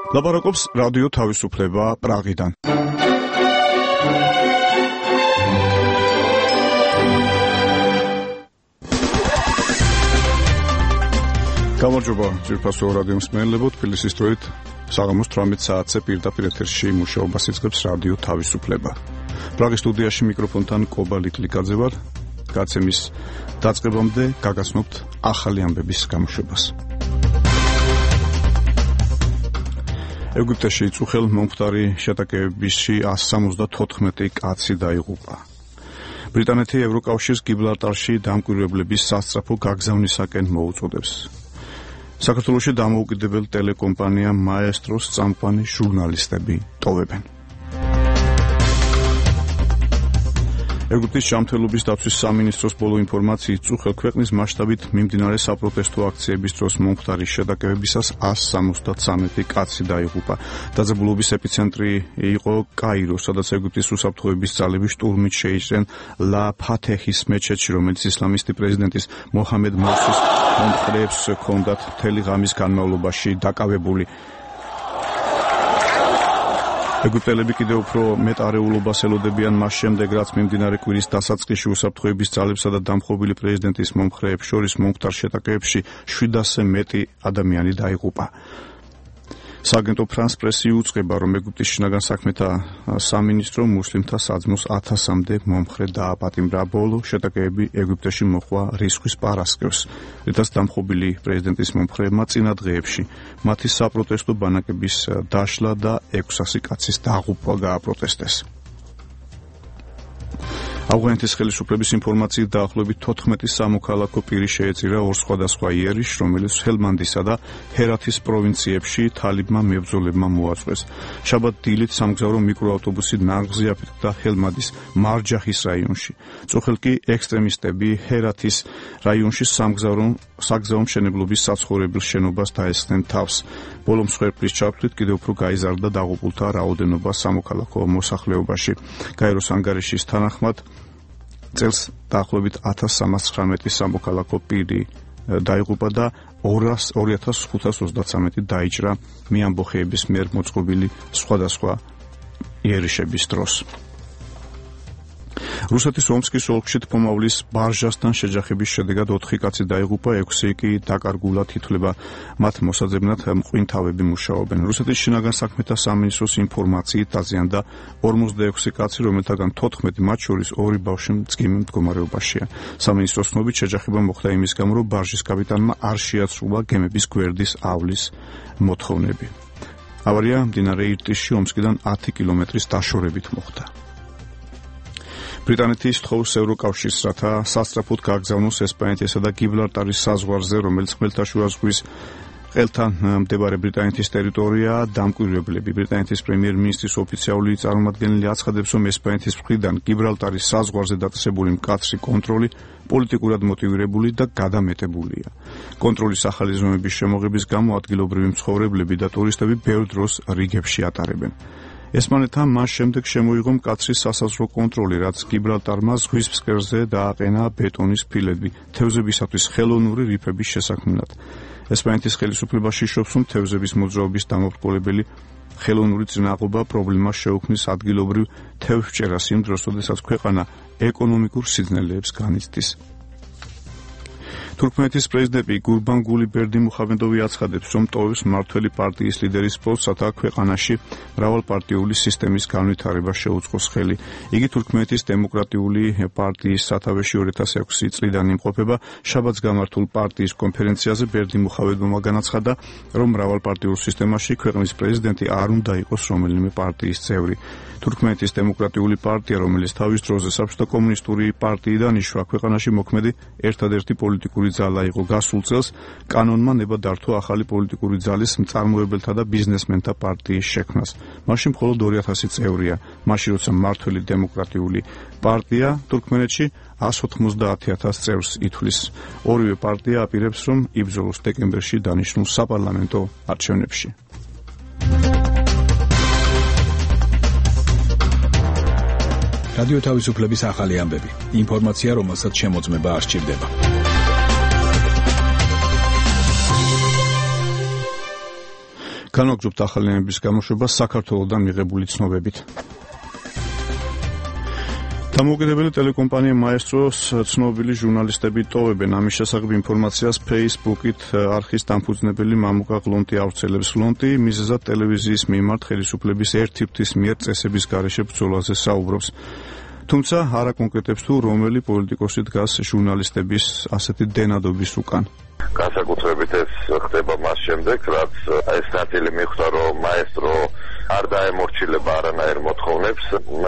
ლაპარაკობს რადიო თავისუფლება პრაღიდან. გამარჯობა ძვირფასო რადიო მსმენელებო, თბილისის დროით საღამოს 18 საათზე პირდაპირ ეთერში მუშაობას იწყებს რადიო თავისუფლება. პრაღის სტუდიაში მიკროფონთან კობა ლიკლიკაძე ვარ. გაცემის დაწყებამდე გაგაცნობთ ახალი ამბების გამოშვებას. ეგვიპტეში წუხელ მომხდარი შეტაკებებში 174 კაცი დაიღუპა. ბრიტანეთი ევროკავშირს გიბრალტარში დამკვირვებლების სასწრაფო გაგზავნისაკენ მოუწოდებს. საქართველოში დამოუკიდებელ ტელეკომპანია მაესტროს წამყვანი ჟურნალისტები ტოვებენ. ეგვიპტის ჯანმრთელობის დაცვის სამინისტროს ბოლო ინფორმაციით წუხელ ქვეყნის მასშტაბით მიმდინარე საპროტესტო აქციების დროს მომხდარი შეტაკებებისას 173 კაცი დაიღუპა. დაძაბულობის ეპიცენტრი იყო კაირო, სადაც ეგვიპტის უსაფრთხოების ძალები შტურმით შეიჭრნენ ლა ფათეჰის მეჩეთში, რომელიც ისლამისტი პრეზიდენტის მოჰამედ მორსის მომხრეებს ჰქონდათ მთელი ღამის განმავლობაში დაკავებული. ეგვიპტელები კიდევ უფრო მეტ არეულობას ელოდებიან მას შემდეგ, რაც მიმდინარე კვირის დასაწყისში უსაფრთხოების ძალებსა და დამხობილი პრეზიდენტის მომხრეებს შორის მომხდარ შეტაკებებში 700-ზე მეტი ადამიანი დაიღუპა. სააგენტო ფრანს პრესი უწყება, რომ ეგვიპტის შინაგან საქმეთა სამინისტრო მუსლიმთა საძმოს 1000-მდე მომხრე დააპატიმრა. ბოლო შეტაკებები ეგვიპტეში მოჰყვა რისხვის პარასკევს, რითაც დამხობილი პრეზიდენტის მომხრეებმა წინა დღეებში მათი საპროტესტო ბანაკების დაშლა და 600 კაცის დაღუპვა გააპროტესტეს. ავღანეთის ხელისუფლების ინფორმაციით დაახლოებით 14 სამოქალაქო პირი შეეწირა ორ სხვადასხვა იერიშს, რომელიც ჰელმანდისა და ჰერათის პროვინციებში თალიბმა მებრძოლებმა მოაწყვეს. შაბათ დილით სამგზავრო მიკროავტობუსი ნაღზი აფეთქდა ჰელმანდის მარჯაჰის რაიონში. წუხელ კი ექსტრემისტები ჰერათის რაიონში საგზაო მშენებლობის საცხოვრებელ შენობას დაესხნენ თავს. ბოლო მსხვერპლის ჩაფრთხით კიდევ უფრო გაიზარდა დაღუპულთა რაოდენობა სამოქალაქო მოსახლეობაში. გაეროს ანგარიშის თანახმად წელს დაახლოებით 1319 სამოქალაქო პირი დაიღუპა და 2533 დაიჭრა მეამბოხეების მიერ მოწყობილი სხვადასხვა იერიშების დროს. რუსეთის ომსკის ოლქში თმომავლის ბარჟასთან შეჯახების შედეგად 4 კაცი დაიღუპა, 6 კი დაკარგულად ითვლება. მათ მოსაძებნად მყინთავები მუშაობენ. რუსეთის შინაგან საქმეთა სამინისტროს ინფორმაციით დაზიანდა 46 კაცი, რომელთაგან 14 მათ შორის 2 ბავშვი მძიმე მდგომარეობაშია. სამინისტროს ცნობით შეჯახება მოხდა იმის გამო, რომ ბარჟის კაპიტანმა არ შეაცრულა გემების გვერდის ავლის მოთხოვნები. ავარია მდინარე ირტიშში ომსკიდან 10 კილომეტრის დაშორებით მოხდა. ბრიტანეთი სთხოვს ევროკავშირს, რათა სასწრაფოდ გააგზავნოს ესპანეთისა და გიბრალტარის საზღვარზე, რომელიც ხმელთაშუა ზღვის ყელთან მდებარე ბრიტანეთის ტერიტორიაა, დამკვირვებლები. ბრიტანეთის პრემიერ-მინისტრის ოფიციალური წარმომადგენელი აცხადებს, რომ ესპანეთის მხრიდან გიბრალტარის საზღვარზე დაწესებული მკაცრი კონტროლი პოლიტიკურად მოტივირებული და გადამეტებულია. კონტროლის ახალი ზომების შემოღების გამო ადგილობრივი მცხოვრებლები და ტურისტები ბევრ დროს რიგებში ატარებენ. ესპანეთთან მას შემდეგ შემოიღო მკაცრი სასაზღვრო კონტროლი, რაც გიბრალტარმა ზღვის ფსკერზე დააყენა ბეტონის ფილები თევზებისათვის ხელოვნური რიფების შესაქმნელად. ესპანეთის ხელისუფლება შიშობს, რომ თევზების მოძრაობის დამოუკიდებელი ხელოვნური წინააღობა პრობლემას შეუქმნის ადგილობრივ თევზჭერას იმ დროს, როდესაც ქვეყანა ეკონომიკურ სიძნელეებს განიცდის. თურქმენეთის პრეზიდენტი გურბანგული ბერდიმუხამედოვი აცხადებს, რომ ტოვებს მმართველი პარტიის ლიდერის პოსტს, რათა ქვეყანაში მრავალპარტიული სისტემის განვითარება შეუწყოს ხელი. იგი თურქმენეთის დემოკრატიული პარტიის სათავეში 2006 წლიდან იმყოფება. შაბათს გამართულ პარტიის კონფერენციაზე ბერდიმუხამედოვმა განაცხადა, რომ მრავალპარტიულ სისტემაში ქვეყნის პრეზიდენტი არ უნდა იყოს რომელიმე პარტიის წევრი. თურქმენეთის დემოკრატიული პარტია, რომელიც თავის დროზე საბჭოთა კომუნისტური პარტიიდან იშვა, ქვეყანაში მოქმედი ერთადერთი პოლიტიკური ძალა იყო. გასულ წელს კანონმა ნება დართო ახალი პოლიტიკური ძალის მწარმოებელთა და ბიზნესმენთა პარტიის შექმნას. მაშინ მხოლოდ 2000 წევრია. მაშინ როცა მმართველი დემოკრატიული პარტია თურქმენეთში 190,000 წევრს ითვლის. ორივე პარტია აპირებს, რომ იბრძოლოს დეკემბერში დანიშნულ საპარლამენტო არჩევნებში. რადიო თავისუფლების ახალი ამბები. ინფორმაცია, რომელსაც შემოწმება არ სჭირდება. განვაგრძობთ ახალიანების გამოშვება საქართველოდან მიღებული ცნობებით. დამოუკიდებელი ტელეკომპანია მაესტროს ცნობილი ჟურნალისტები ტოვებენ. ამის შესახებ ინფორმაციას Facebook-ით არხის დამფუძნებელი მამუკა გლონტი ავრცელებს. გლონტი მიზეზად ტელევიზიის მიმართ ხელისუფლების ერთი ფრთის მიერ წესების გარეშე ბრძოლაზე საუბრობს. თუმცა არ აკონკრეტებს თუ რომელი პოლიტიკოსი დგას ჟურნალისტების ასეთი დენადობის უკან. განსაკუთრებით ეს ხდება მას შემდეგ, რაც ეს ნაწილი მიხვდა, რომ მაესტრო არ დაემორჩილება არანაირ მოთხოვნებს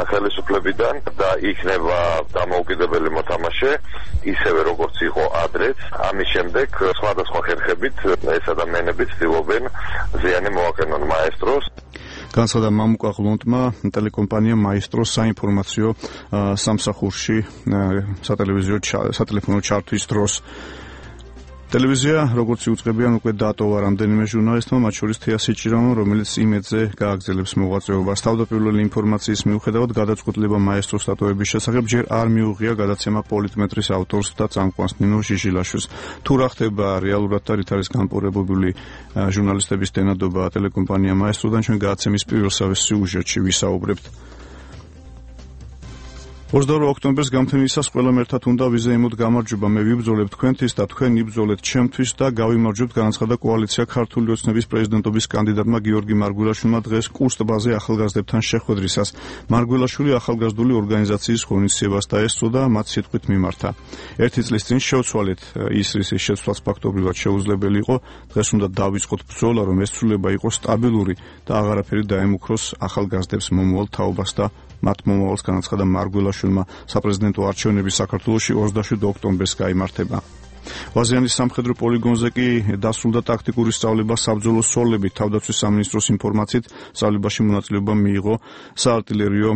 ხელისუფლებიდან და იქნება დამოუკიდებელი მოთამაშე, ისევე როგორც იყო ადრეც. ამის შემდეგ სხვადასხვა ხერხებით ეს ადამიანები ცდილობენ ზიანი მოაყენონ მაესტროს. განსადა მამუკა გლონტმა ტელეკომპანია მაესტრო საინფორმაციო სამსახურში სატელეფონო ჩართვის დროს ტელევიზია, როგორც იუწყებიან, უკვე დატოვა რამდენიმე ჟურნალისტმა, მათ შორის თეა სიჭირამა, რომელიც იმედზე გააგრძელებს მოღვაწეობას. თავდაპირველი ინფორმაციის მიუხედავად, გადაწყვეტილება მაესტროს დატოვების შესახებ ჯერ არ მიუღია გადაცემა პოლიტმეტრის ავტორს და წამყვანს ნინო ჟიჟილაშვილს. თუ რა ხდება რეალურად და რით არის განპორებებული ჟურნალისტების დენადობა ტელეკომპანია მაესტროდან, ჩვენ გადაცემის პირველ სიუჟეტში ვისაუბრებთ. 22 ოქტომბერს გამთენისას ყველამ ერთად უნდა ვიზეიმოთ გამარჯვება. მე ვიბრძოლებ თქვენთვის და თქვენ იბრძოლეთ ჩემთვის და გავიმარჯვებთ, განაცხადა კოალიცია ქართული ოცნების პრეზიდენტობის კანდიდატმა გიორგი მარგველაშვილმა დღეს კურს ტბაზე ახალგაზრდებთან შეხვედრისას. მარგველაშვილი ახალგაზრდული ორგანიზაციის ღონისძიებას დაესწრო და მათ სიტყვით მიმართა. ერთი წლის წინ შევცვალეთ ის რის შეცვლაც ფაქტობრივად შეუძლებელი იყო. დღეს უნდა დავიწყოთ ბრძოლა, რომ ეს ცვლილება იყოს სტაბილური და აღარაფერი დაემუქროს ახალგაზრდებს მომავალ თაობას და მათ მომავალს, განაცხადა მარგველაშვილმა. საპრეზიდენტო არჩევნები საქართველოში 27 ოქტომბერს გაიმართება. ვაზიანის სამხედრო პოლიგონზე კი დასრულდა ტაქტიკური სწავლება საბრძოლო სოლებით. თავდაცვის სამინისტროს ინფორმაციით სწავლებაში მონაწილეობა მიიღო საარტილერიო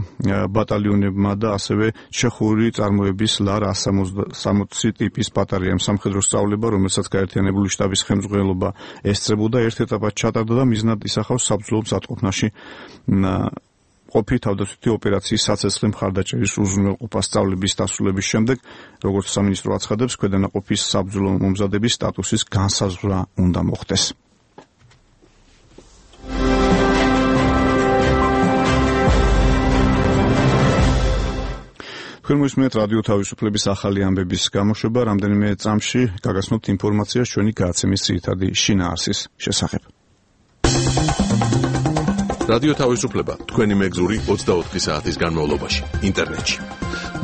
ბატალიონებმა და ასევე ჩეხური წარმოების ლარ 160 ტიპის ბატარეამ. სამხედრო სწავლება, რომელსაც გაერთიანებული შტაბის ხელმძღვანელობა ესწრებოდა, ერთ ეტაპად ჩატარდა და მიზნად ისახავს საბრძოლო მზადყოფნაში ყოფი თავდაცვითი ოპერაციის საცეცხლე მხარდაჭერის უზრუნველყოფა. სწავლების დასრულების შემდეგ, როგორც სამინისტრო აცხადებს, ქვედანაყოფის საბრძოლო მომზადების სტატუსის განსაზღვრა უნდა მოხდეს. თქვენ მოისმენთ რადიო თავისუფლების ახალი ამბების გამოშვება. რამდენიმე წამში გაგაცნობთ ინფორმაციას ჩვენი გადაცემის ძირითადი შინაარსის შესახებ. რადიო თავისუფლება თქვენი მეგზური 24 საათის განმავლობაში ინტერნეტში.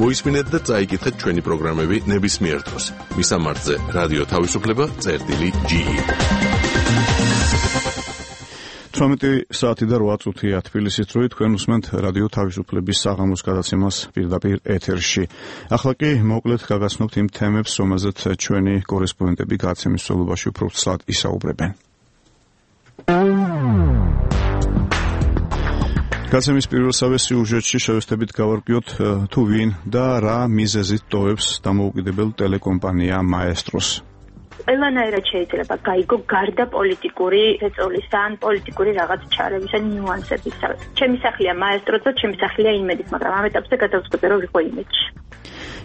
მოისმინეთ და წაიკითხეთ ჩვენი პროგრამები ნებისმიერ დროს. მისამართზე რადიო თავისუფლება.ge 18 საათი და 8 წუთია თბილისის დროით. თქვენ უსმენთ რადიო თავისუფლების საღამოს გადაცემას პირდაპირ ეთერში. ახლა კი მოკლედ გაგაცნობთ იმ თემებს, რომელზეც ჩვენი კორესპონდენტები გადაცემის მსვლელობაში უფრო ცალკე ისაუბრებენ. გადაცემის პირველსავე სიუჟეტში შევესწრებით გავარკვიოთ თუ ვინ და რა მიზეზით ტოვებს დამოუკიდებელ ტელეკომპანია მაესტროს. ყველანაირად შეიძლება გაიგო გარდა პოლიტიკური ეწოლისა ან პოლიტიკური რაღაც ჩარების ან ნიუანსების. ჩემი სახლია მაესტრო და ჩემი სახლია იმედის, მაგრამ ამ ეტაპზე გადავწყვეტე რომ ვიყო იმედში.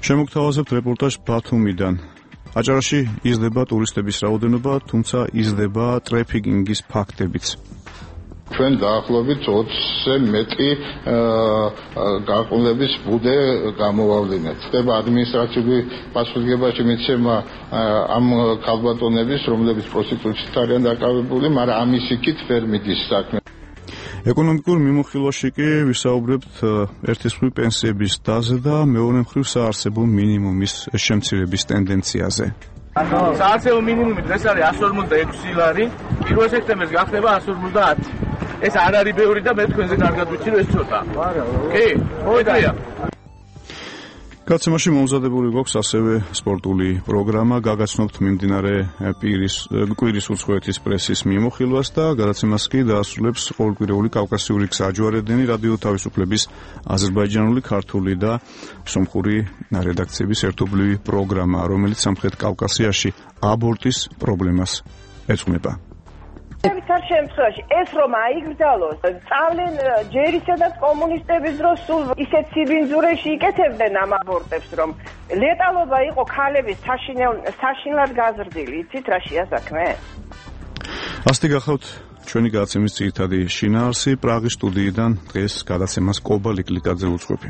შემოგთავაზებთ რეპორტაჟ ბათუმიდან. აჭარაში იზრდება ტურისტების რაოდენობა, თუმცა იზრდება ტრეფიკინგის ფაქტებიც. ჩვენ დაახლოებით 20-ზე მეტი გაყოლების ბუდე გამოვავლინეთ. ხდება ადმინისტრაციული პასუხისმგებაში მიცემა ამ ქალბატონების, რომლებიც პროსტიტუციით არიან დაკავებული, მაგრამ ამის იქით ვერ მიდის საქმე. ეკონომიკურ მიმოხილვაში კი ვისაუბრებთ ერთის მხრივ პენსიების დაზე და მეორე მხრივ საარსებო მინიმუმის შემცირების ტენდენციაზე. საარსებო მინიმუმი დღეს არის 156 ლარი, 1 სექტემბერს გახდება 150. ეს არ არის ბევრი და მე თქვენზე კარგად ვიცი რომ ეს ცოტა. კი, მოიწია. გადაცემაში მომზადებული გვაქვს ასევე სპორტული პროგრამა. გაგაცნობთ მიმდინარე კვირის უცხოეთის პრესის მიმოხილვას და გადაცემას კი დაასრულებს ყოველკვირეული კავკასიური გზაჯვარედინი რადიო თავისუფლების აზერბაიჯანული, ქართული და სომხური რედაქციების ერთობლივი პროგრამა, რომელიც სამხრეთ კავკასიაში აბორტის პრობლემას ეძღვნება. Victor შემთხვევაში ეს რომ აიგრძალოს, წავლენ ჯერისედაც კომუნისტების დროს სულ ისეთ სიბინძურეში იკეთებდნენ ამ აბორტებს, რომ ლეტალობა იყო ქალების საშინლად გაზრდილი. იცით რა შეასაქმე? ასეთი გახავთ ჩვენი გადაცემის ძირითადი შინაარსი პრაღის სტუდიიდან დღეს გადაცემას კობა ლიკლიკაძე უძღვები.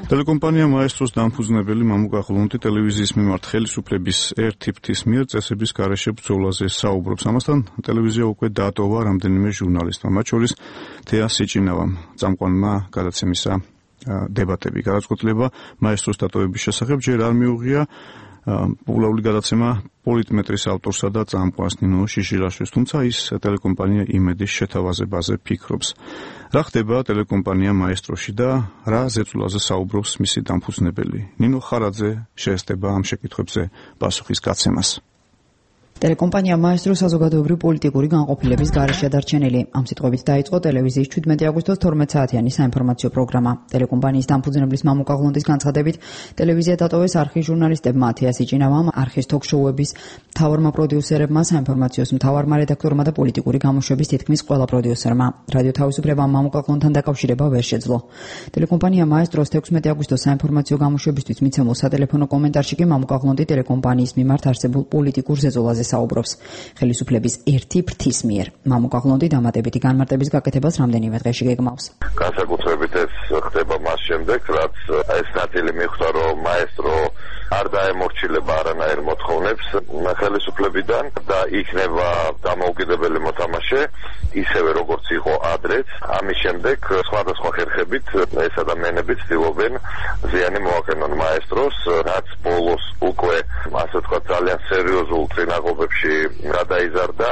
ტელეკომპანია მაესტროს დამფუძნებელი მამუკა ღლუნდი ტელევიზიის მიმართ ხელისუფლების ერთი ფრთის მიერ წესების გარეშე ბრძოლაზე საუბრობს. ამასთან ტელევიზია უკვე დაატოვა რამდენიმე ჟურნალისტმა, მათ შორის თეა სიჭინავამ, წამყვანმა გადაცემისა დებატები. გადაწყვეტილება მაესტროს დატოვების შესახებ ჯერ არ მიუღია პოპულარული გადაცემა პოლიტმეტრის ავტორსა და წამყვანს ნინო შიშილაშვილს, თუმცა ის ტელეკომპანია იმედის შეთავაზებაზე ფიქრობს. რა ხდება ტელეკომპანია მაესტროში და რა ზეწოლაზე საუბრობს მისი დამფუძნებელი? ნინო ხარაძე შეესწება ამ შეკითხვებზე პასუხის გაცემას. ტელეკომპანია მაესტრო საზოგადოებრივი პოლიტიკური განყოფილების გარეშე დარჩენილი. ამ სიტყვებით დაიწყო ტელევიზიის 17 აგვისტოს 12 საათიანი საინფორმაციო პროგრამა. ტელეკომპანიის დამფუძნებლის მამუკა ღლუნდის განცხადებით, ტელევიზია დატოვეს არხის ჟურნალისტებმა თეა სიჭინავამ, არხის თოქ-შოუების მთავარმა პროდიუსერებმა, საინფორმაციოს მთავარმა რედაქტორმა და პოლიტიკური გამოშვების თითქმის ყველა პროდიუსერმა. რადიო თავისუფლებამ მამუკა ღლუნდთან დაკავშირება ვერ შეძლო. ტელეკომპანია მაესტროს 16 აგვისტოს საინფორმაციო გამოშვებისთვის მიცემულ სატელეფონო კომენტარში კი მამუკა ღლუნდი ტელეკომპანიის მიმართ არსებულ პოლიტიკურ ზეწოლაზე საუბრობს. ხელისუფლების ერთი ფრთის მიერ. მამუკა ღლუნდი დამატებითი განმარტების გაკეთებას რამდენიმე დღეში გეგმავს. განსაკუთრებით ეს ხდება მას შემდეგ, რაც ეს ნაწილი მიხვდა, რომ მაესტრო არ დაემორჩილება არანაირ მოთხოვნებს ხელისუფლებიდან და იქნება დამოუკიდებელი მოთამაშე, ისევე როგორც იყო ადრეც. ამის შემდეგ სხვადასხვა ხერხებით ეს ადამიანები ცდილობენ ზიანი მოახერხონ მაესტროს, რაც ბოლოს უკვე ასე ვთქვათ ძალიან სერიოზულ წინაღობებში გადაიზარდა.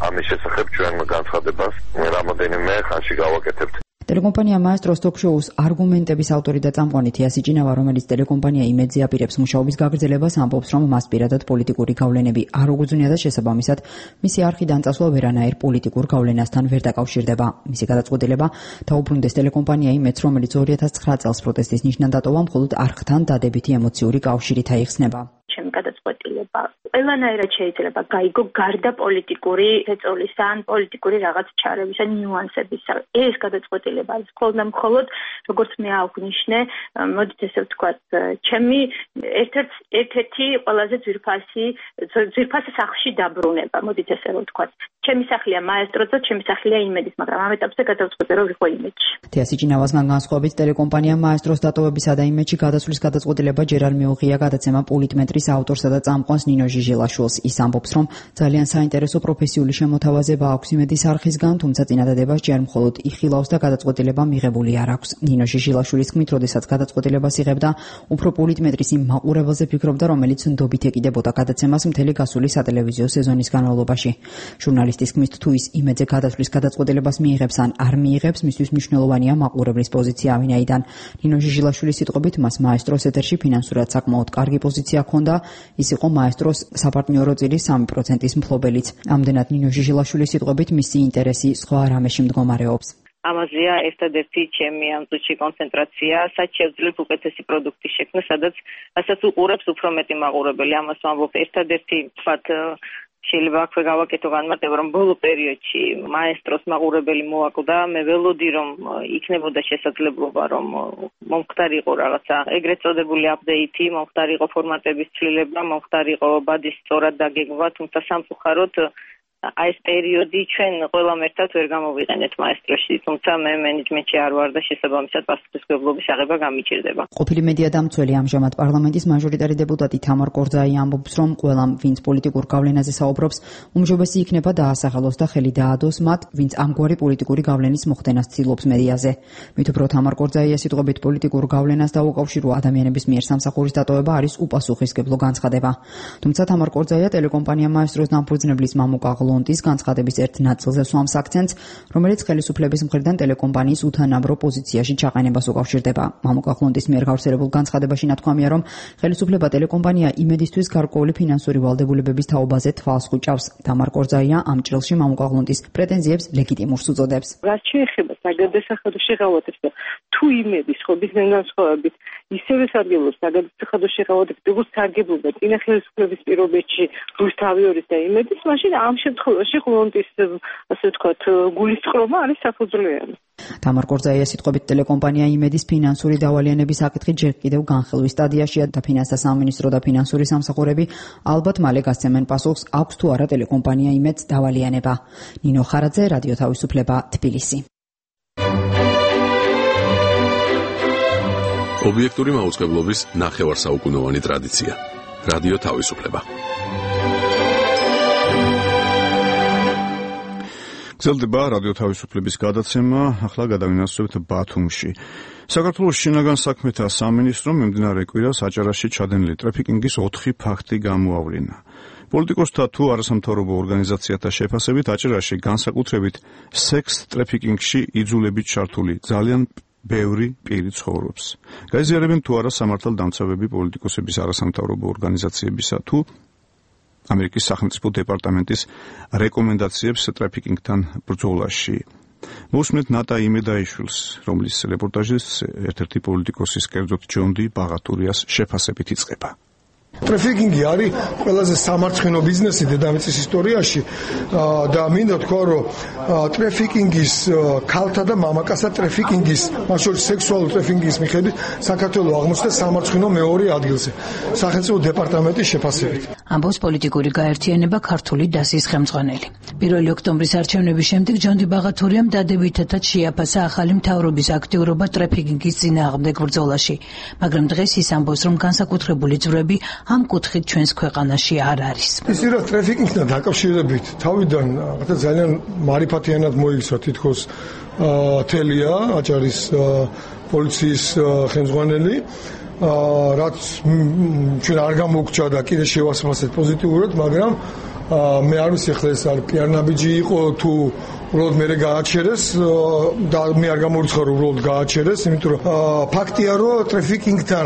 ამის შესახებ ჩვენ განცხადებას რამოდენიმე ხანში გავაკეთებთ. ტელეკომპანია მაესტროს თოქ-შოუს არგუმენტების ავტორი და წამყვანი თეა სიჭინავა, რომელიც ტელეკომპანია იმედზე აპირებს მუშაობის გაგრძელებას, ამბობს, რომ მას პირადად პოლიტიკური გავლენები არ უგრძნია და შესაბამისად მისი არხიდან წასვლა ვერანაირ პოლიტიკურ გავლენასთან ვერ დაკავშირდება. მისი გადაწყვეტილება დაუბრუნდეს ტელეკომპანია იმედს, რომელიც 2009 წელს პროტესტის ნიშნად დატოვა, მხოლოდ არხთან დადებითი ემოციური კავშირით აიხსნება. ჩემი გადაწყვეტილება ყველანაირად შეიძლება გაიგო გარდა პოლიტიკური ეწოლის ან პოლიტიკური რაღაც ჩარების ან ნიუანსებისა. ეს გადაწყვეტილება არის მხოლოდ როგორც მე აღვნიშნე, მოდით ესე ვთქვათ, ჩემი ერთ-ერთი ყველაზე ძვირფას სახლში დაბრუნება, მოდით ესე ვთქვათ. ჩემი სახლია მაესტროზე, ჩემი სახლია იმედის, მაგრამ ამ ეტაპზე გადაწყვეტე რომ ვიყო იმედში. თეა სიჭინავასგან განსხვავებით ტელეკომპანია მაესტროს დატოვებისა და იმედში გადასვლის გადაწყვეტილება ჯერ არ მიუღია გადაცემა პოლიტმეტრის ავტორსა და წამყვანს ნინო ჟიჟილაშვილს. ის ამბობს, რომ ძალიან საინტერესო პროფესიული შემოთავაზება აქვს იმედის არხისგან, თუმცა წინადადებას ჯერ მხოლოდ იხილავს და გადაწყვეტილება მიღებული არ აქვს. ნინო ჟიჟილაშვილის თქმით, როდესაც გადაწყვეტილებას იღებდა, უფრო პოლიტმეტრის იმ მაყურებელზე ფიქრობდა, რომელიც ნდობით ეკიდებოდა გადაცემას მთელი გასული სატელევიზიო სეზონის განმავლობაში. ჟურნალისტის თქმით, თუ ის იმედზე გადასვლის გადაწყვეტილებას მიიღებს ან არ მიიღებს, მისთვის მნიშვნელოვანია მაყურებლის პოზიცია, ვინაიდან ნინო ჟიჟილაშვილის სიტყვებით მას მაესტროს ეთერში ფინანსურად საკმაოდ კარგი პოზიცია ჰქონდა. ის იყო მაესტროს საპარტნიორო წილის 3%-ის მფლობელიც. ამდენად ნინო ჟიჟილაშვილის სიტყვებით მისი ინტერესი სხვა რამეში მდგომარეობს. ამაზეა ერთადერთი ჩემი ამ წუთში კონცენტრაცია, სადაც შევძლებ უკეთესი პროდუქტის შექმნა, სადაც უყურებს უფრო მეტი მაყურებელი. ამას ვამბობ, ერთადერთი ვთქვათ, შეიძლება აქვე გავაკეთო განმარტება, რომ ბოლო პერიოდში მაესტროს მაყურებელი მოაკვდა. მე ველოდი, რომ იქნებოდა შესაძლებლობა, რომ მომხდარიყო რაღაცა ეგრეთ წოდებული აპდეიტი, მომხდარიყო ფორმატების ცვლილება, მომხდარიყო ბადის სწორად დაგეგმვა, თუმცა სამწუხაროდ აი ეს პერიოდი ჩვენ ყველამ ერთად ვერ გამოვიყენეთ მაესტროში, თუმცა მე მენეჯმენტში არ ვარ და შესაბამისად პასუხისმგებლობის აღება გამიჭირდება. ყოფილი მედია დამცველი ამჟამად პარლამენტის მაჟორიტარი დეპუტატი თამარ კორძაი ამბობს, რომ ყველამ, ვინც პოლიტიკურ გავლენაზე საუბრობს, უმჯობესი იქნება დაასახელოს და ხელი დაადოს მათ, ვინც ამგვარი პოლიტიკური გავლენის მოხდენას ცდილობს მედიაზე. მით უფრო თამარ კორძაია სიტყვებით პოლიტიკურ გავლენას დაუკავშირო ადამიანების მიერ სამსახურის დატოვება არის უპასუხისმგებლო განცხადება. თუმცა თამარ კორძაია ტელეკომპანია მაესტროს დამფუძნებლის მამუკა ღლუნდის განცხადების ერთ ნაწილზე სვამს აქცენტს, რომელიც ხელისუფლების მხრიდან ტელეკომპანიის უთანაბრო პოზიციაში ჩაყენებას უკავშირდება. მამუკა ღლუნდის მიერ გავრცელებულ განცხადებაში ნათქვამია, რომ ხელისუფლება ტელეკომპანია იმედისთვის გარკვეული ფინანსური ვალდებულებების თაობაზე თვალს ხუჭავს. თამარ კორძაია ამ ჭრილში მამუკა ღლუნდის პრეტენზიებს ლეგიტიმურს უწოდებს. რაც შეეხება საგადასახადო შეღავათებს და თუ იმედის ხობისგან განსხვავებით ისევე სარგებლობს საგადასახადო შეღავათებს, როგორც სარგებლობა წინა ხელისუფლების პირობებში რუსთავიორის და იმედის, მაშინ ამ შემთხვევაში ღლუნდის ასე ვთქვათ გულისწყრომა არის საფუძვლიანი. თამარ კორძაია სიტყვებით ტელეკომპანია იმედის ფინანსური დავალიანების საკითხი ჯერ კიდევ განხილვის სტადიაშია და ფინანსთა სამინისტრო და ფინანსური სამსახურები ალბათ მალე გასცემენ პასუხს, აქვს თუ არა ტელეკომპანია იმედს დავალიანება. ნინო ხარაძე, რადიო თავისუფლება, თბილისი. ობიექტური მაუწყებლობის ნახევარსაუკუნოვანი ტრადიცია. რადიო თავისუფლება. გრძელდება რადიო თავისუფლების გადაცემა, ახლა გადავინაცვლებთ ბათუმში. საქართველოს შინაგან საქმეთა სამინისტრომ მიმდინარე კვირას აჭარაში ჩადენილი ტრაფიკინგის 4 ფაქტი გამოავლინა. პოლიტიკოსთა თუ არასამთავრობო ორგანიზაციათა შეფასებით აჭარაში განსაკუთრებით სექს ტრაფიკინგში იძულებით ჩართული ძალიან ბევრი პირი ცხოვრობს. გაიზიარებენ თუ არა სამართალდამცავები პოლიტიკოსების არასამთავრობო ორგანიზაციებისა თუ ამერიკის სახელმწიფო დეპარტამენტის რეკომენდაციებს ტრაფიკინგთან ბრძოლაში. მოსმენთ ნატა იმედაიშვილს, რომლის რეპორტაჟის ერთ-ერთი პოლიტიკოსის კერძოდ ჯონ დი ბაღატურიას შეფასებით იწყება. ტრაფიკინგი არის ყველაზე სამარცხინო ბიზნესი დედამიწის ისტორიაში და მინდა თქვა, რომ ტრაფიკინგის ქალთა და მამაკაცთა ტრაფიკინგის, მათ შორის სექსუალური ტრაფიკინგის მიხედვით საქართველოს აღმოჩნდა სამარცხინო მეორე ადგილზე სახელმწიფო დეპარტამენტის შეფასებით. ამბობს პოლიტიკური გაერთიანება ქართული დასის ხელმძღვანელი. 1 ოქტომბრის არჩევნების შემდეგ ჯონ დი ბაღატურიამ დადებითად შეაფასა ახალი მთავრობის აქტიურობა ტრაფიკინგის წინააღმდეგ ბრძოლაში, მაგრამ დღეს ის ამბობს, რომ განსაკუთრებული ძვრები ამ კუთხით ჩვენს ქვეყანაში არ არის. ისე რა ტრაფიკინგთან დაკავშირებით თავიდან ძალიან მარიფათიანად მოიქცა თითქოს თელია აჭარის პოლიციის ხელმძღვანელი, რაც ჩვენ არ გამოგჭა და კიდე შევასწავლეთ პოზიტიურად, მაგრამ მე არ ვიცი ახლა ეს არ პიარნაბიჯი იყო თუ უბრალოდ მე გააჩერეს და მე არ გამორიცხა რომ უბრალოდ გააჩერეს, იმიტომ რომ ფაქტია რომ ტრაფიკინგთან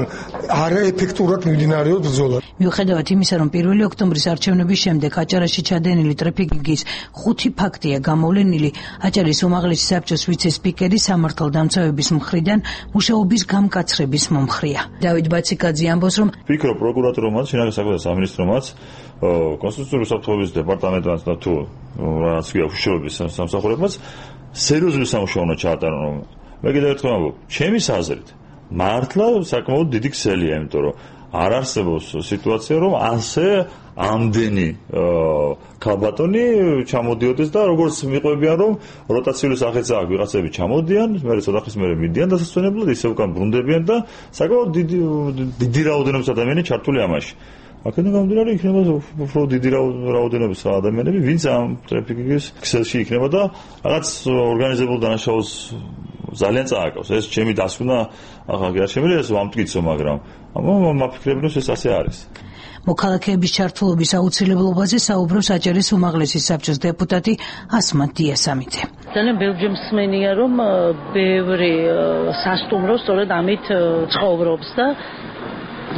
არაეფექტურად მიმდინარეობს ბრძოლა. მიუხედავად იმისა, რომ 1 ოქტომბრის არჩევნების შემდეგ აჭარაში ჩადენილი ტრაფიკინგის 5 ფაქტია გამოვლენილი, აჭარის უმაღლესი საბჭოს ვიცე-სპიკერი სამართალდამცავების მხრიდან მუშაობის გამკაცრების მომხრეა. დავით ბაციკაძე ამბობს, რომ ფიქრობ პროკურატურომაც, შინაგან საქმეთა სამინისტრომაც, კონსტიტუციური საფრთხების დეპარტამენტმაც და თუ რაც ქვია უშუალოების სამსახურებმაც სერიოზული სამუშაო უნდა ჩაატარონ. მე კიდევ ერთხელ ვამბობ, ჩემის აზრით, მართლა საკმაოდ დიდი ქსელია, იმიტომ რომ არ არსებობს სიტუაცია, რომ ასე ამდენი ქალბატონი ჩამოდიოდეს და როგორც მიყვებიან, რომ როტაციული სახეც აქვს, ვიღაცები ჩამოდიან, მერე ცოტა ხნის მერე მიდიან დასასვენებლად, ისე უკან ბრუნდებიან და საკმაოდ დიდი რაოდენობის ადამიანი ჩართული ამაში. აქედან გამომდინარე იქნება უფრო დიდი რაოდენობის ადამიანები, ვინც ამ ტრაფიკინგის ქსელში იქნება და რაღაც ორგანიზებულ დანაშაულს ძალიან წააგავს. ეს ჩემი დასკვნა, ახლა არ შემიძლია ეს ვამტკიცო, მაგრამ მაფიქრებინო ეს ასე არის. მოქალაქეების ჩართულობის აუცილებლობაზე საუბრობს აჭარის უმაღლესი საბჭოს დეპუტატი ასმათ დიასამიძე. ძალიან ბევრი მსმენია, რომ ბევრი სასტუმრო სწორედ ამით ცხოვრობს და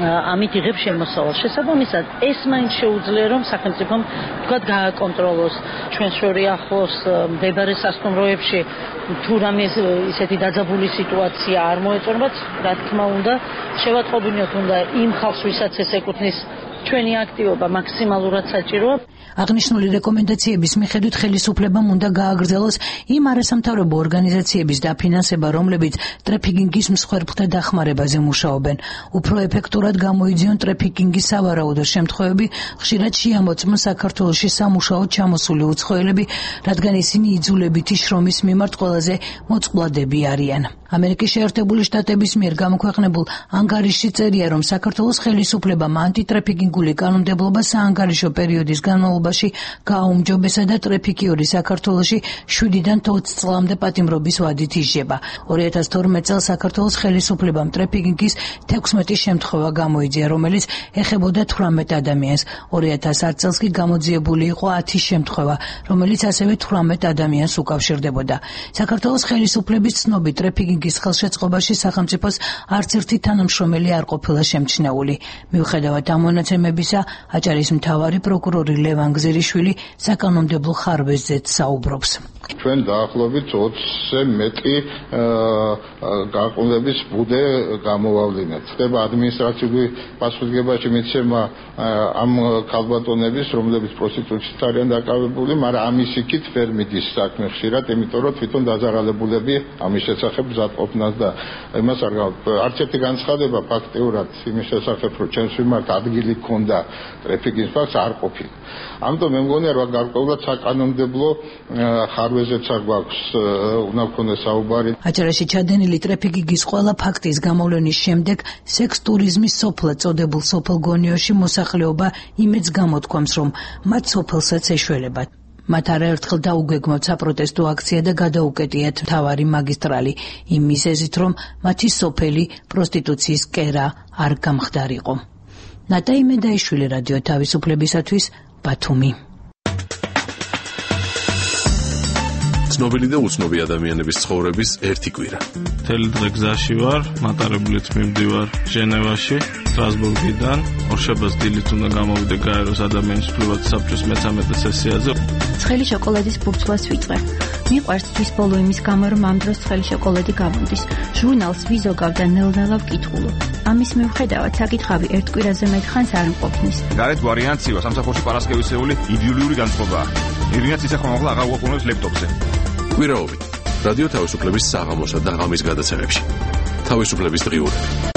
ამით იღებს შემოსავალს. შესაბამისად, ეს მაინც შეუძლია, რომ სახელმწიფომ თქვათ გააკონტროლოს ჩვენ შორის ახლოს მდებარე სასტუმროებში თუ რამე ისეთი დაძაბული სიტუაცია არ მოეწონათ, რა თქმა უნდა, შევატყობინოთ უნდა იმ ხალხს, ვისაც ეს ეკუთვნის ჩვენი აქტივობა მაქსიმალურად საჭიროა. აღნიშნული რეკომენდაციების მიხედვით ხელისუფლებამ უნდა გააგრძელოს იმ არასამთავრობო ორგანიზაციების დაფინანსება, რომლებიც ტრაფიკინგის მსხვერპლთა დახმარებაზე მუშაობენ. უფრო ეფექტურად გამოიძიონ ტრაფიკინგის სავარაუდო შემთხვევები, ხშირად შეამოწმონ საქართველოში სამუშაოდ ჩამოსული უცხოელები, რადგან ისინი იძულებითი შრომის მიმართ ყველაზე მოწყვლადები არიან. ამერიკის შეერთებული შტატების მიერ გამოქვეყნებულ ანგარიშში წერია, რომ საქართველოს ხელისუფლებამ ანტიტრაფიკინგული კანონმდებლობა საანგარიშო პერიოდის განმავლობაში გააუმჯობესა და ტრაფიკიორი საქართველოში 7-დან 20 წლამდე პატიმრობის ვადით იშება. 2012 წელს საქართველოს ხელისუფლებამ ტრაფიკინგის 16 შემთხვევა გამოიძია, რომელიც ეხებოდა 18 ადამიანს. 2010 წელს კი გამოძიებული იყო 10 შემთხვევა, რომელიც ასევე 18 ადამიანს უკავშირდებოდა. საქართველოს ხელისუფლების ცნობით ტრაფიკინგის ხელშეწყობაში სახელმწიფოს არც ერთი თანამშრომელი არ ყოფილა შემჩნეული. მიუხედავად ამ მონაცემებისა, აჭარის მთავარი პროკურორი ლევან გზირიშვილი საკანონმდებლო ხარვეზზეც საუბრობს. ჩვენ დაახლოებით 20-ზე მეტი გაყოლების ბუდე გამოვავლინეთ. ხდება ადმინისტრაციული პასუხისმგებაში მიცემა ამ ქალბატონების, რომლებიც პროსტიტუციით არიან დაკავებული, მაგრამ ამის იქით ვერ მიდის საქმე ხშირად, იმიტომ რომ თვითონ დაზარალებულები ამის შესახებ მზადყოფნას და იმას არ არც ერთი განცხადება ფაქტიურად იმის შესახებ, რომ ჩვენს მიმართ ადგილი ქონდა ტრაფიკის ფაქტს არ ყოფილა. ამიტომ მე მგონია რომ გარკვეულად საკანონმდებლო ხარვეზეც არ გვაქვს უნდა გქონდეს საუბარი. აჭარაში ჩადენილი ტრაფიკის ყველა ფაქტის გამოვლენის შემდეგ სექს ტურიზმის სოფლად წოდებულ სოფელ გონიოში მოსახლეობა იმედს გამოთქვამს, რომ მათ სოფელსაც ეშველებათ. მათ არაერთხელ დაუგეგმოთ საპროტესტო აქცია და გადაუკეტიათ მთავარი მაგისტრალი იმ მიზეზით, რომ მათი სოფელი პროსტიტუციის კერა არ გამხდარიყო. ნატა იმედაიშვილი, რადიო თავისუფლებისათვის, ბათუმი. ცნობილი და უცნობი ადამიანების ცხოვრების ერთი კვირა. მთელი დღე გზაში ვარ, მატარებლით მივდივარ ჟენევაში, სტრასბურგიდან. ორშაბათს დილით უნდა გამოვიდე გაეროს ადამიანის უფლებათა საბჭოს მე-13 სესიაზე. ცხელი შოკოლადის ბურთულას ვიწყე. მიყვარს თვის ბოლო იმის გამო, რომ ამ დროს ცხელი შოკოლადი გამომდის. ჟურნალს ვიზოგავ და ნელ-ნელა ვკითხულობ. ამის მიუხედავად საკითხავი ერთ კვირაზე მეტ ხანს არ მყოფნის. გარეთ ვარიანცივა სამსახურში პარასკევისეული იდეოლოგიური განწყობაა. ირინაც ისე ხომ აღარ უყურებს ლეპტოპზე. კვირაობით რადიო თავისუფლების საღამოსა და ღამის გადაცემებში. თავისუფლების დღიურები.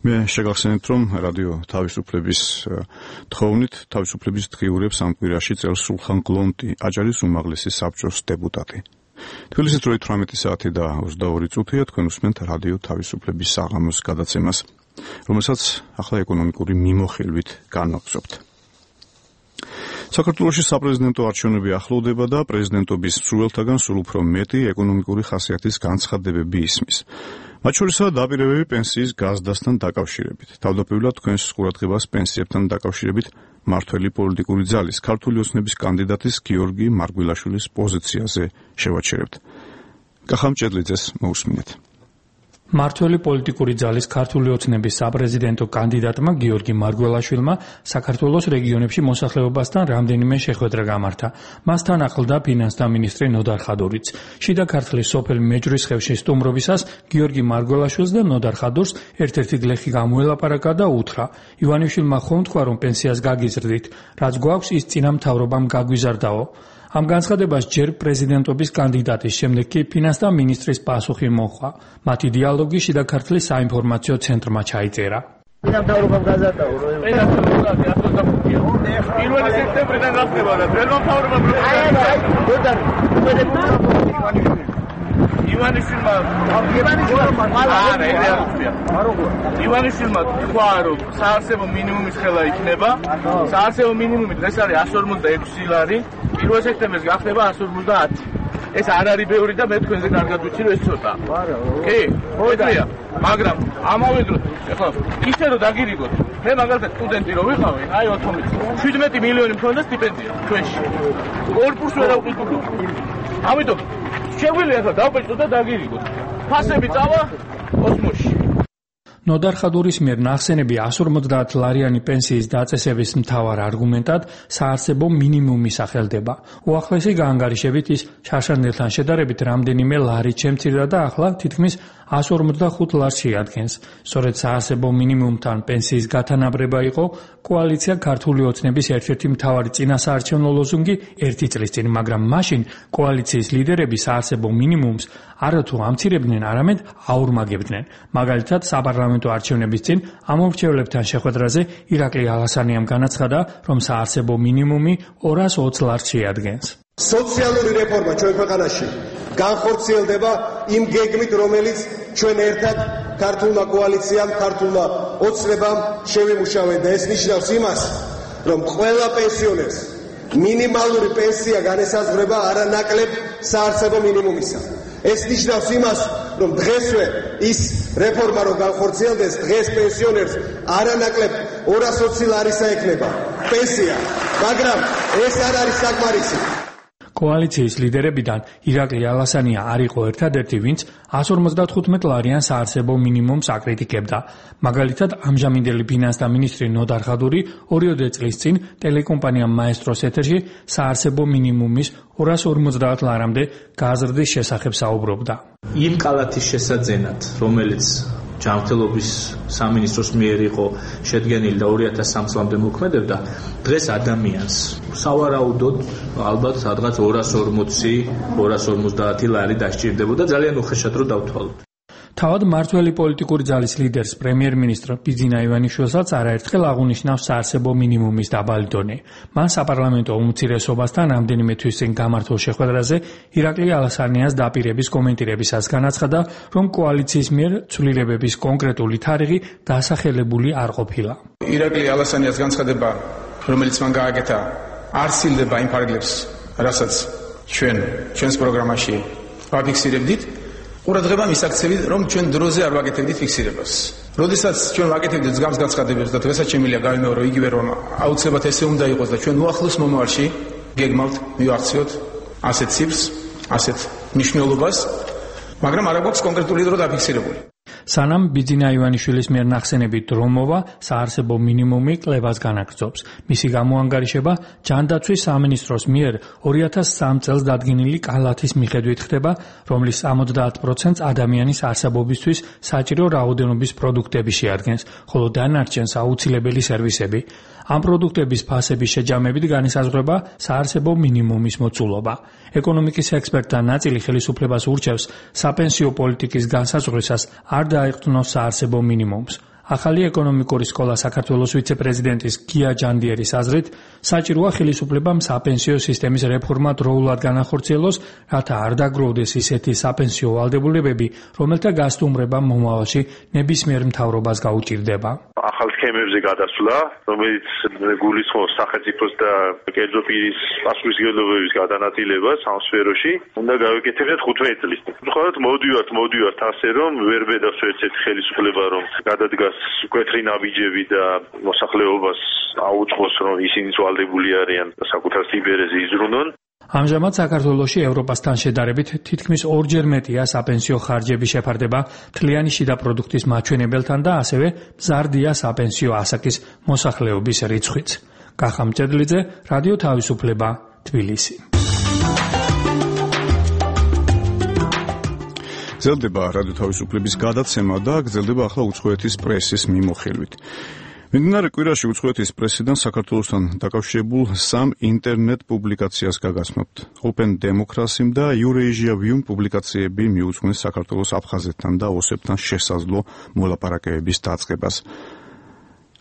მე შეგახსენებთ, რომ რადიო თავისუფლების თხოვნით თავისუფლების დღიურებს ამ კვირაში წელს სულხან გლონტი, აჭარის უმაღლესი საბჭოს დეპუტატი. თბილისის დროით 18 საათი და 22 წუთია თქვენ უსმენთ რადიო თავისუფლების საღამოს გადაცემას, რომელსაც ახლა ეკონომიკური მიმოხილვით განვაგრძობთ. საქართველოში საპრეზიდენტო არჩევნები ახლოვდება და პრეზიდენტობის მსურველთაგან სულ უფრო მეტი ეკონომიკური ხასიათის განცხადებები ისმის. მათ შორისაა დაპირებები პენსიის გაზრდასთან დაკავშირებით. თავდაპირველად თქვენს ყურადღებას პენსიებთან დაკავშირებით მართველი პოლიტიკური ძალის ქართული ოცნების კანდიდატის გიორგი მარგველაშვილის პოზიციაზე შევაჩერებთ. კახამ ჭედლიძეს მოусმინეთ. მართველი პოლიტიკური ძალის ქართული ოცნების საპრეზიდენტო კანდიდატმა გიორგი მარგველაშვილმა საქართველოს რეგიონებში მოსახლეობასთან რამდენიმე შეხვედრა გამართა. მასთან ახლდა ფინანსთა მინისტრი ნოდარ ხადურიც. შიდა ქართლის სოფელ მეჯვრისხევში სტუმრობისას გიორგი მარგველაშვილს და ნოდარ ხადურს ერთ-ერთი გლეხი გამოელაპარაკა და უთხრა: ივანიშვილმა ხომ თქვა, რომ პენსიას გაგიზრდით, რაც გვაქვს ის წინა მთავრობამ გაგვიზარდაო. ამ განცხადებას ჯერ პრეზიდენტობის კანდიდატის, შემდეგ კი ფინანსთა მინისტრის პასუხი მოჰყვა. მათი დიალოგი შიდა ქართლის საინფორმაციო ცენტრმა ჩაიწერა. მთავრობამ გაზარდაო, რომ პირველი სექტემბრიდან გახდება და ძველმა მთავრობამ ივანიშვილმა თქვა, რომ საარსებო მინიმუმის ხელა იქნება. საარსებო მინიმუმი დღეს არის 156 ლარი, 1 სექტემბერს გახდება 150. ეს არ არის ბევრი და მე თქვენზე კარგად ვიცი, რომ ეს ცოტა. კი, მოიწია, მაგრამ ამავე დროს ეხლა ისე რომ დაგირიგოთ, მე მაგალითად სტუდენტი რო ვიყავი, აი 17 მილიონი მქონდა სტიპენდია ჩვენში. კორპუსს ვერ ავყიდულობ. ამიტომ შეგვიძლია ახლა დავბეჭდოთ და დაგირიგოთ. ფასები წავა კოსმოსში. ნოდარ ხადურის მიერ ნახსენები 150 ლარიანი პენსიის დაწესების მთავარ არგუმენტად საარსებო მინიმუმი სახელდება. უახლესი გაანგარიშებით ის შარშანელთან შედარებით რამდენიმე ლარით შემცირდა და ახლა თითქმის 145 ლარს შეადგენს. სწორედ საარსებო მინიმუმთან პენსიის გათანაბრება იყო კოალიცია ქართული ოცნების ერთ-ერთი მთავარი წინასაარჩევნო ლოზუნგი ერთი წლის წინ, მაგრამ მაშინ კოალიციის ლიდერები საარსებო მინიმუმს არათუ ამცირებდნენ, არამედ აურმაგებდნენ. მაგალითად, საპარლამენტო არჩევნების წინ ამომრჩევლებთან შეხვედრაზე ირაკლი ალასანიამ განაცხადა, რომ საარსებო მინიმუმი 220 ლარს შეადგენს. სოციალური რეფორმა ჩვენ ქვეყანაში განხორციელდება იმ გეგმით, რომელიც ჩვენ ერთად ქართულმა კოალიციამ, ქართულმა ოცნებამ შევიმუშავეთ და ეს ნიშნავს იმას, რომ ყველა პენსიონერს მინიმალური პენსია განესაზღვრება არანაკლებ საარსებო მინიმუმისა. ეს ნიშნავს იმას, რომ დღესვე ის რეფორმა რომ განხორციელდეს, დღეს პენსიონერს არანაკლებ 220 ლარისა ექნება პენსია, მაგრამ ეს არ არის საკმარისი. კოალიციის ლიდერებიდან ირაკლი ალასანია არ იყო ერთადერთი, ვინც 155 ლარიან საარსებო მინიმუმს აკრიტიკებდა. მაგალითად, ამჟამინდელი ფინანსთა მინისტრი ნოდარ ხადური 2 წლის წინ ტელეკომპანია მაესტროს ეთერში საარსებო მინიმუმის 250 ლარამდე გაზრდის შესახებ საუბრობდა. იმ კალათის შესაძენად, რომელიც ჯანმრთელობის სამინისტროს მიერ იყო შედგენილი და 2003 წლამდე მოქმედებდა, დღეს ადამიანს სავარაუდოდ ალბათ სადღაც 240 ლარი დასჭირდებოდა, ძალიან უხეშად რო დავთვალოთ. თავად მართველი პოლიტიკური ძალის ლიდერს პრემიერ-მინისტრ ბიძინა ივანიშვილსაც არაერთხელ აღუნიშნავს საარსებო მინიმუმის დაბალი დონე. მან საპარლამენტო უმცირესობასთან რამდენიმე თვის წინ გამართულ შეხვედრაზე ირაკლი ალასანიას დაპირების კომენტირებისას განაცხადა, რომ კოალიციის მიერ ცვლილებების კონკრეტული თარიღი დასახელებული არ ყოფილა. ირაკლი ალასანიას განცხადება, რომელიც მან გააკეთა, არ სილდება იმ ფარგლებს, რასაც ჩვენს პროგრამაში ვაფიქსირებდით. ყურადღება მისაქცევით, რომ ჩვენ დროზე არ ვაკეთებდით ფიქსირებას. როდესაც ჩვენ ვაკეთებდით მსგავს განცხადებებს და დღესაც შემიძლია გავიმეორო იგივე, რომ აუცილებლად ესე უნდა იყოს და ჩვენ უახლოს მომავალში გეგმავთ მივახციოთ ასეთ ციფრს, ასეთ მნიშვნელობას, მაგრამ არ აქვს კონკრეტული დრო დაფიქსირებული. სანამ ბიძინა ივანიშვილის მიერ ნახსენები დრო მოვა, საარსებო მინიმუმი კლებას განაგრძობს. მისი გამოანგარიშება ჯანდაცვის სამინისტროს მიერ 2003 წელს დადგენილი კალათის მიხედვით ხდება, რომლის 70%-ს ადამიანის არსებობისთვის საჭირო რაოდენობის პროდუქტები შეადგენს, ხოლო დანარჩენს აუცილებელი სერვისები. ამ პროდუქტების ფასების შეჯამებით განისაზღვრება საარსებო მინიმუმის მოცულობა. ეკონომიკის ექსპერტთა ნაწილი ხელისუფლებას ურჩევს საპენსიო პოლიტიკის განსაზღვრისას არ დაეყრდნოს საარსებო მინიმუმს. ახალი ეკონომიკური სკოლა საქართველოს ვიცე-პრეზიდენტის გია ჯანდიერის აზრით, საჭიროა ხელისუფლებამ საპენსიო სისტემის რეფორმა დროულად განახორციელოს, რათა არ დაგროვდეს ისეთი საპენსიო ვალდებულებები, რომელთა გასტუმრება მომავალში ნებისმიერ მთავრობას გაუჭირდება. ახალ სქემებზე გადასვლა, რომელიც გულისხმობს სახელმწიფოს და კერძო პირის პასუხისმგებლობების გადანაწილებას ამ სფეროში, უნდა გავეკეთებინათ 15 წლის. მხოლოდ მოდივართ ასე, რომ ვერ ბედავს ერთ-ერთი ხელისუფლება, რომ გადადგასკვეთრი ნაბიჯები და მოსახლეობას აუწყოს, რომ ისინი ვალდებული არიან საკუთარ სიბერეზე იზრუნონ. ამჟამად საქართველოში ევროპასთან შედარებით თითქმის 2-ჯერ მეტია საპენსიო ხარჯების შეფარდება მთლიანი შიდა პროდუქტის მაჩვენებელთან და ასევე მზარდია საპენსიო ასაკის მოსახლეობის რიცხვიც. კახა მჭედლიძე, რადიო თავისუფლება, თბილისი. გრძელდება რადიო თავისუფლების გადაცემა და გრძელდება ახლა უცხოეთის პრესის მიმოხილვით. მიმდინარე კვირაში უცხოეთის პრესიდან საქართველოსთან დაკავშირებულ 3 ინტერნეტ პუბლიკაციას გაგაცნობთ. Open Democracy და Eurasia View პუბლიკაციები მიუძღვნეს საქართველოს აფხაზეთთან და ოსებთან შესაძლო მოლაპარაკებების დაწყებას.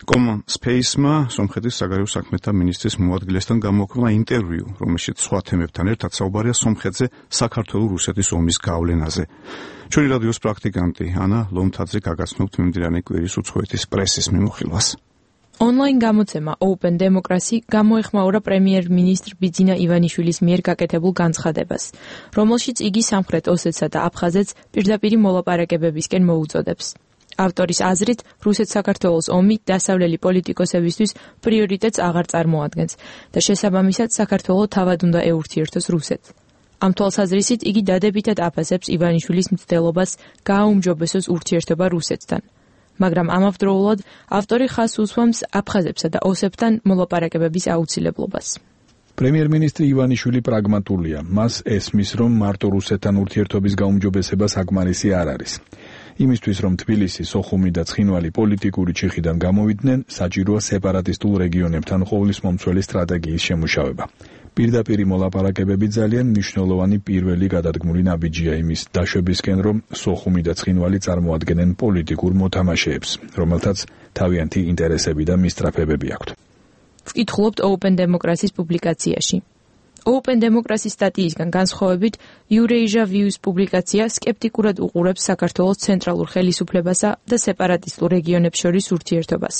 Common Space-მა სომხეთის საგარეო საქმეთა მინისტრის მოადგილესთან გამოაქვეყნა ინტერვიუ, რომელშიც სხვა თემებთან ერთად საუბარია სომხეთზე საქართველო-რუსეთის ომის გავლენაზე. ჩვენი რადიოს პრაქტიკანტი ანა ლომთაძე გაგაცნობთ მიმდინარე კვირის უცხოეთის პრესის მიმოხილვას. ონლაინ გამოცემა Open Democracy გამოეხმაურა პრემიერ-მინისტრ ბიძინა ივანიშვილის მიერ გაკეთებულ განცხადებას, რომელშიც იგი სამხრეთ ოსეთსა და აფხაზეთს პირდაპირი მოლაპარაკებებისკენ მოუწოდებს. ავტორის აზრით, რუსეთ-საქართველოს ომი დასავლელი პოლიტიკოსებისთვის პრიორიტეტს აღარ წარმოადგენს და შესაბამისად საქართველო თავად უნდა ეურთიერთოს რუსეთს. ამ თვალსაზრისით იგი დადებითად აფასებს ივანიშვილის მცდელობას გააუმჯობესოს ურთიერთობა რუსეთთან. მაგრამ ამავდროულად ავტორი ხაზს უსვამს აფხაზებსა და ოსებთან მოლაპარაკებების აუცილებლობას. პრემიერ-მინისტრი ივანიშვილი პრაგმატულია. მას ესმის, რომ მარტო რუსეთთან ურთიერთობის გაუმჯობესება საკმარისი არ არის. იმისთვის, რომ თბილისი, სოხუმი და ცხინვალი პოლიტიკური ჩიხიდან გამოვიდნენ, საჭიროა სეპარატისტულ რეგიონებთან ყოვლისმომცველი სტრატეგიის შემუშავება. პირდაპირი მოლაპარაკებები ძალიან მნიშვნელოვანი პირველი გადადგმული ნაბიჯია იმის დაშვებისკენ, რომ სოხუმი და ცხინვალი წარმოადგენენ პოლიტიკურ მოთამაშეებს, რომელთაც თავიანთი ინტერესები და მისწრაფებები აქვთ. ვკითხულობთ Open Democracy-ს პუბლიკაციაში. Open Democracy სტატიისგან განსხვავებით, Eurasia View-ს პუბლიკაცია სკეპტიკურად უყურებს საქართველოს ცენტრალურ ხელისუფლებასა და სეპარატისტულ რეგიონებს შორის ურთიერთობას.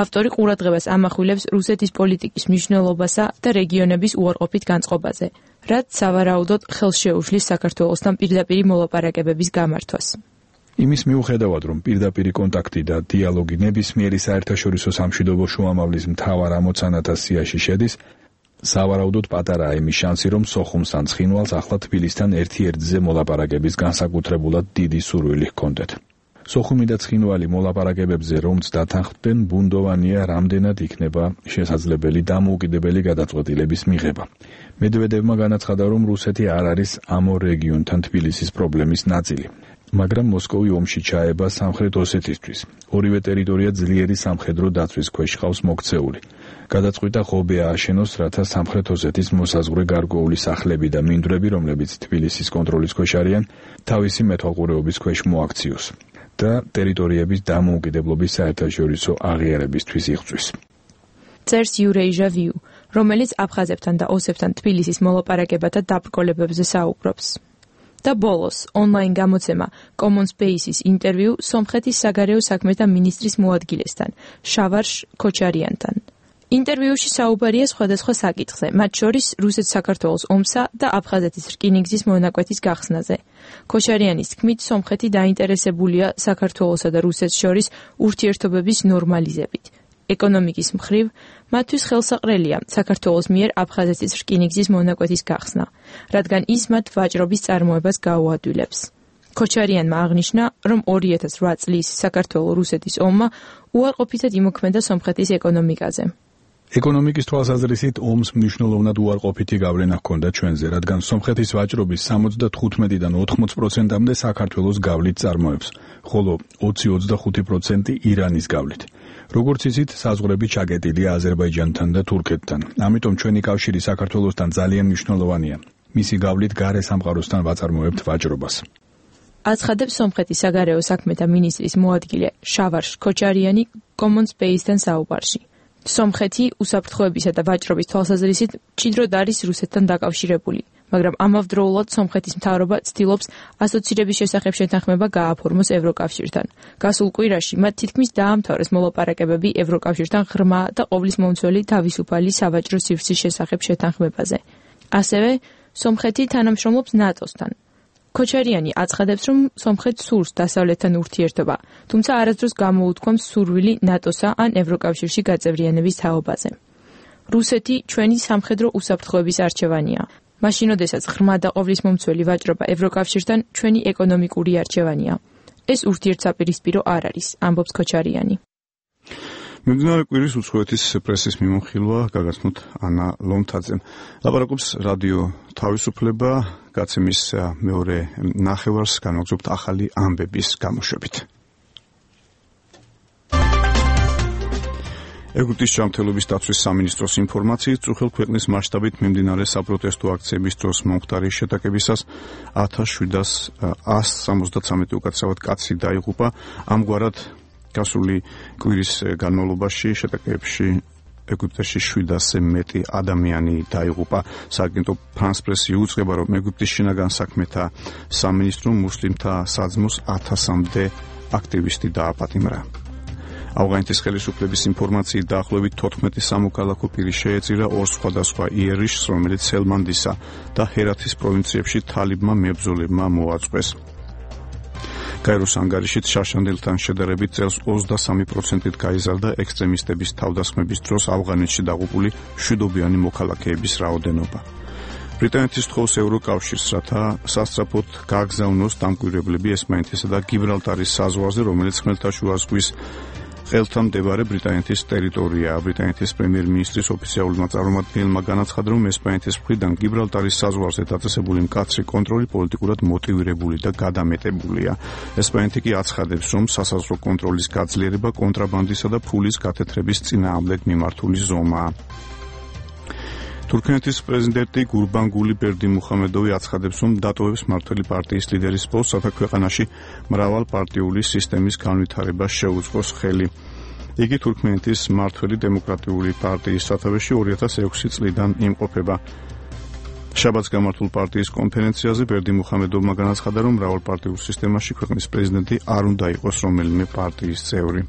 ავტორი ყურადღებას ამახვილებს რუსეთის პოლიტიკის მნიშვნელობასა და რეგიონების უარყოფით განწყობაზე, რაც სავარაუდოდ ხელს შეუშლის საქართველოსთან პირდაპირი მოლაპარაკებების გამართვას. იმის მიუხედავად, რომ პირდაპირი კონტაქტი და დიალოგი ნებისმიერი საერთაშორისო სამშვიდობო შუამავლის მთავარ ამოცანათა სიაში შედის, სავარაუდოდ პატარაა იმის შანსი, რომ სოხუმს ან ცხინვალს ახლა თბილისთან ერთ-ერთზე მოლაპარაკების განსაკუთრებულად დიდი სურვილი ჰქონდეთ. სოხუმი და ცხინვალი მოლაპარაკებებზე რომც დათანხმდნენ, ბუნდოვანია რამდენად იქნება შესაძლებელი დამოუკიდებელი გადაწყვეტილების მიღება. მედვედევმა განაცხადა, რომ რუსეთი არ არის ამ ორ რეგიონთან თბილისის პრობლემის ნაწილი. მაგრამ მოსკოვი ომში ჩაება სამხრეთ ოსეთისთვის. ორივე ტერიტორია ძლიერი სამხედრო დაცვის ქვეშ ყავს მოქცეული. გადაწყვიტა ღობე ააშენოს, რათა სამხრეთ ოსეთის მოსაზღვრე გარკვეული სახლები და მინდვრები, რომლებიც თბილისის კონტროლის ქვეშ არიან, თავისი მეთვალყურეობის ქვეშ მოაქციოს და ტერიტორიების დამოუკიდებლობის საერთაშორისო აღიარებისთვის იღწვის. წერს Eurasia View, რომელიც აფხაზებთან და ოსებთან თბილისის მოლაპარაკებათა დაბრკოლებებზე საუბრობს. და ბოლოს ონლაინ გამოცემა Common Space-ის ინტერვიუ სომხეთის საგარეო საქმეთა მინისტრის მოადგილესთან, შავარშ ქოჩარიანთან. ინტერვიუში საუბარია სხვადასხვა საკითხზე, მათ შორის რუსეთ-საქართველოს ომსა და აფხაზეთის რკინიგზის მონაკვეთის გახსნაზე. ქოჩარიანის თქმით, სომხეთი დაინტერესებულია საქართველოსა და რუსეთს შორის ურთიერთობების ნორმალიზებით. ეკონომიკის მხრივ, მათთვის ხელსაყრელია საქართველოს მიერ აფხაზეთის რკინიგზის მონაკვეთის გახსნა, რადგან ის მათ ვაჭრობის წარმოებას გაუადვილებს. ქოჩარიანმა აღნიშნა, რომ 2008 წლის საქართველო-რუსეთის ომმა უარყოფითად იმოქმედა სომხეთის ეკონომიკაზე. ეკონომიკის თვალსაზრისით ომს მნიშვნელოვნად უარყოფითი გავლენა ჰქონდა ჩვენზე, რადგან სომხეთის ვაჭრობის 75-დან 80%-მდე საქართველოს გავლით წარმოებს, ხოლო 20-25% ირანის გავლით. როგორც იცით, საზღვრები ჩაკეტილია აზერბაიჯანთან და თურქეთთან. ამიტომ ჩვენი კავშირი საქართველოსთან ძალიან მნიშვნელოვანია. მისი გავლით გარე სამყაროსთან ვაწარმოებთ ვაჭრობას. აცხადებს სომხეთის საგარეო საქმეთა მინისტრის მოადგილე შავარშ ქოჩარიანი Common Space-თან საუბარში. სომხეთი უსაფრთხოებისა და ვაჭრობის თვალსაზრისით მჭიდროდ არის რუსეთთან დაკავშირებული, მაგრამ ამავდროულად სომხეთის მთავრობა ცდილობს ასოცირების შესახებ შეთანხმება გააფორმოს ევროკავშირთან. გასულ კვირაში მათ თითქმის დაამთავრეს მოლაპარაკებები ევროკავშირთან ღრმა და ყოვლის მომცველი თავისუფალი სავაჭრო სივრცის შესახებ შეთანხმებაზე. ასევე სომხეთი თანამშრომლობს ნატოსთან. ქოჩარიანი აცხადებს, რომ სომხეთს სურს დასავლეთთან ურთიერთობა, თუმცა არასდროს გამოუთქვამს სურვილი ნატოსა ან ევროკავშირში გაწევრიანების თაობაზე. რუსეთი ჩვენი სამხედრო უსაფრთხოების არჩევანია. მაშინ, როდესაც ღრმა და ყოვლის მომცველი ვაჭრობა ევროკავშირთან ჩვენი ეკონომიკური არჩევანია. ეს ურთიერთსაპირისპირო არ არის, ამბობს ქოჩარიანი. მიმდინარე კვირის უცხოეთის პრესის მიმოხილვა გაგაცნოთ ანა ლომთაძემ. ლაპარაკობს რადიო თავისუფლება, გაცემის მეორე ნახევარს განვაგრძობთ ახალი ამბების გამოშვებით. ეგვიპტის ჯანმრთელობის დაცვის სამინისტროს ინფორმაციით, წუხელ ქვეყნის მასშტაბით მიმდინარე საპროტესტო აქციების დროს მომხდარი შეტაკებისას 1773 უკაცრავად კაცი დაიღუპა. ამგვარად გასული კვირის განმავლობაში შეტაკებებში ეგვიპტეში 700-ზე მეტი ადამიანი დაიღუპა. სააგენტო France Press-ი უწყება, რომ ეგვიპტის შინაგან საქმეთა სამინისტრომ მუსლიმთა საძმოს 1000-მდე აქტივისტი დააპატიმრა. ავღანეთის ხელისუფლების ინფორმაციით დაახლოებით 14 სამოქალაქო პირი შეეწირა ორ სხვადასხვა იერიშს, რომელიც ჰელმანდისა და ჰერათის პროვინციებში თალიბმა მებრძოლებმა მოაწყვეს. გაეროს ანგარიშით შარშანდელთან შედარებით წელს 23%-ით გაიზარდა ექსტრემისტების თავდასხმების დროს ავღანეთში დაღუპული მშვიდობიანი მოქალაქეების რაოდენობა. ბრიტანეთის თხოვს ევროკავშირს, რათა სასწრაფოდ გააგზავნოს დამკვირვებლები ესპანეთისა და გიბრალტარის საზღვარზე, რომელიც ხმელთაშუა ზღვის ხელთან მდებარე ბრიტანეთის ტერიტორიაა. ბრიტანეთის პრემიერ-მინისტრის ოფიციალურმა წარმომადგენელმა განაცხადა, რომ ესპანეთის მხრიდან გიბრალტარის საზღვარზე დაწესებული მკაცრი კონტროლი პოლიტიკურად მოტივირებული და გადამეტებულია. ესპანეთი კი აცხადებს, რომ სასაზღვრო კონტროლის გაძლიერება კონტრაბანდისა და ფულის გათეთრების წინააღმდეგ მიმართული ზომაა. თურქეთის პრეზიდენტი გურბანგული ბერდიმუხამედოვი აცხადებს, რომ დატოვებს მმართველი პარტიის ლიდერის პოსტს, რათა ქვეყანაში მრავალპარტიული სისტემის განვითარებას შეუწყოს ხელი. იგი თურქეთის მმართველი დემოკრატიული პარტიის სათავეში 2006 წლიდან იმყოფება. შაბათს გამართულ პარტიის კონფერენციაზე ბერდიმუხამედოვმა განაცხადა, რომ მრავალპარტიულ სისტემაში ქვეყნის პრეზიდენტი არ უნდა იყოს რომელიმე პარტიის წევრი.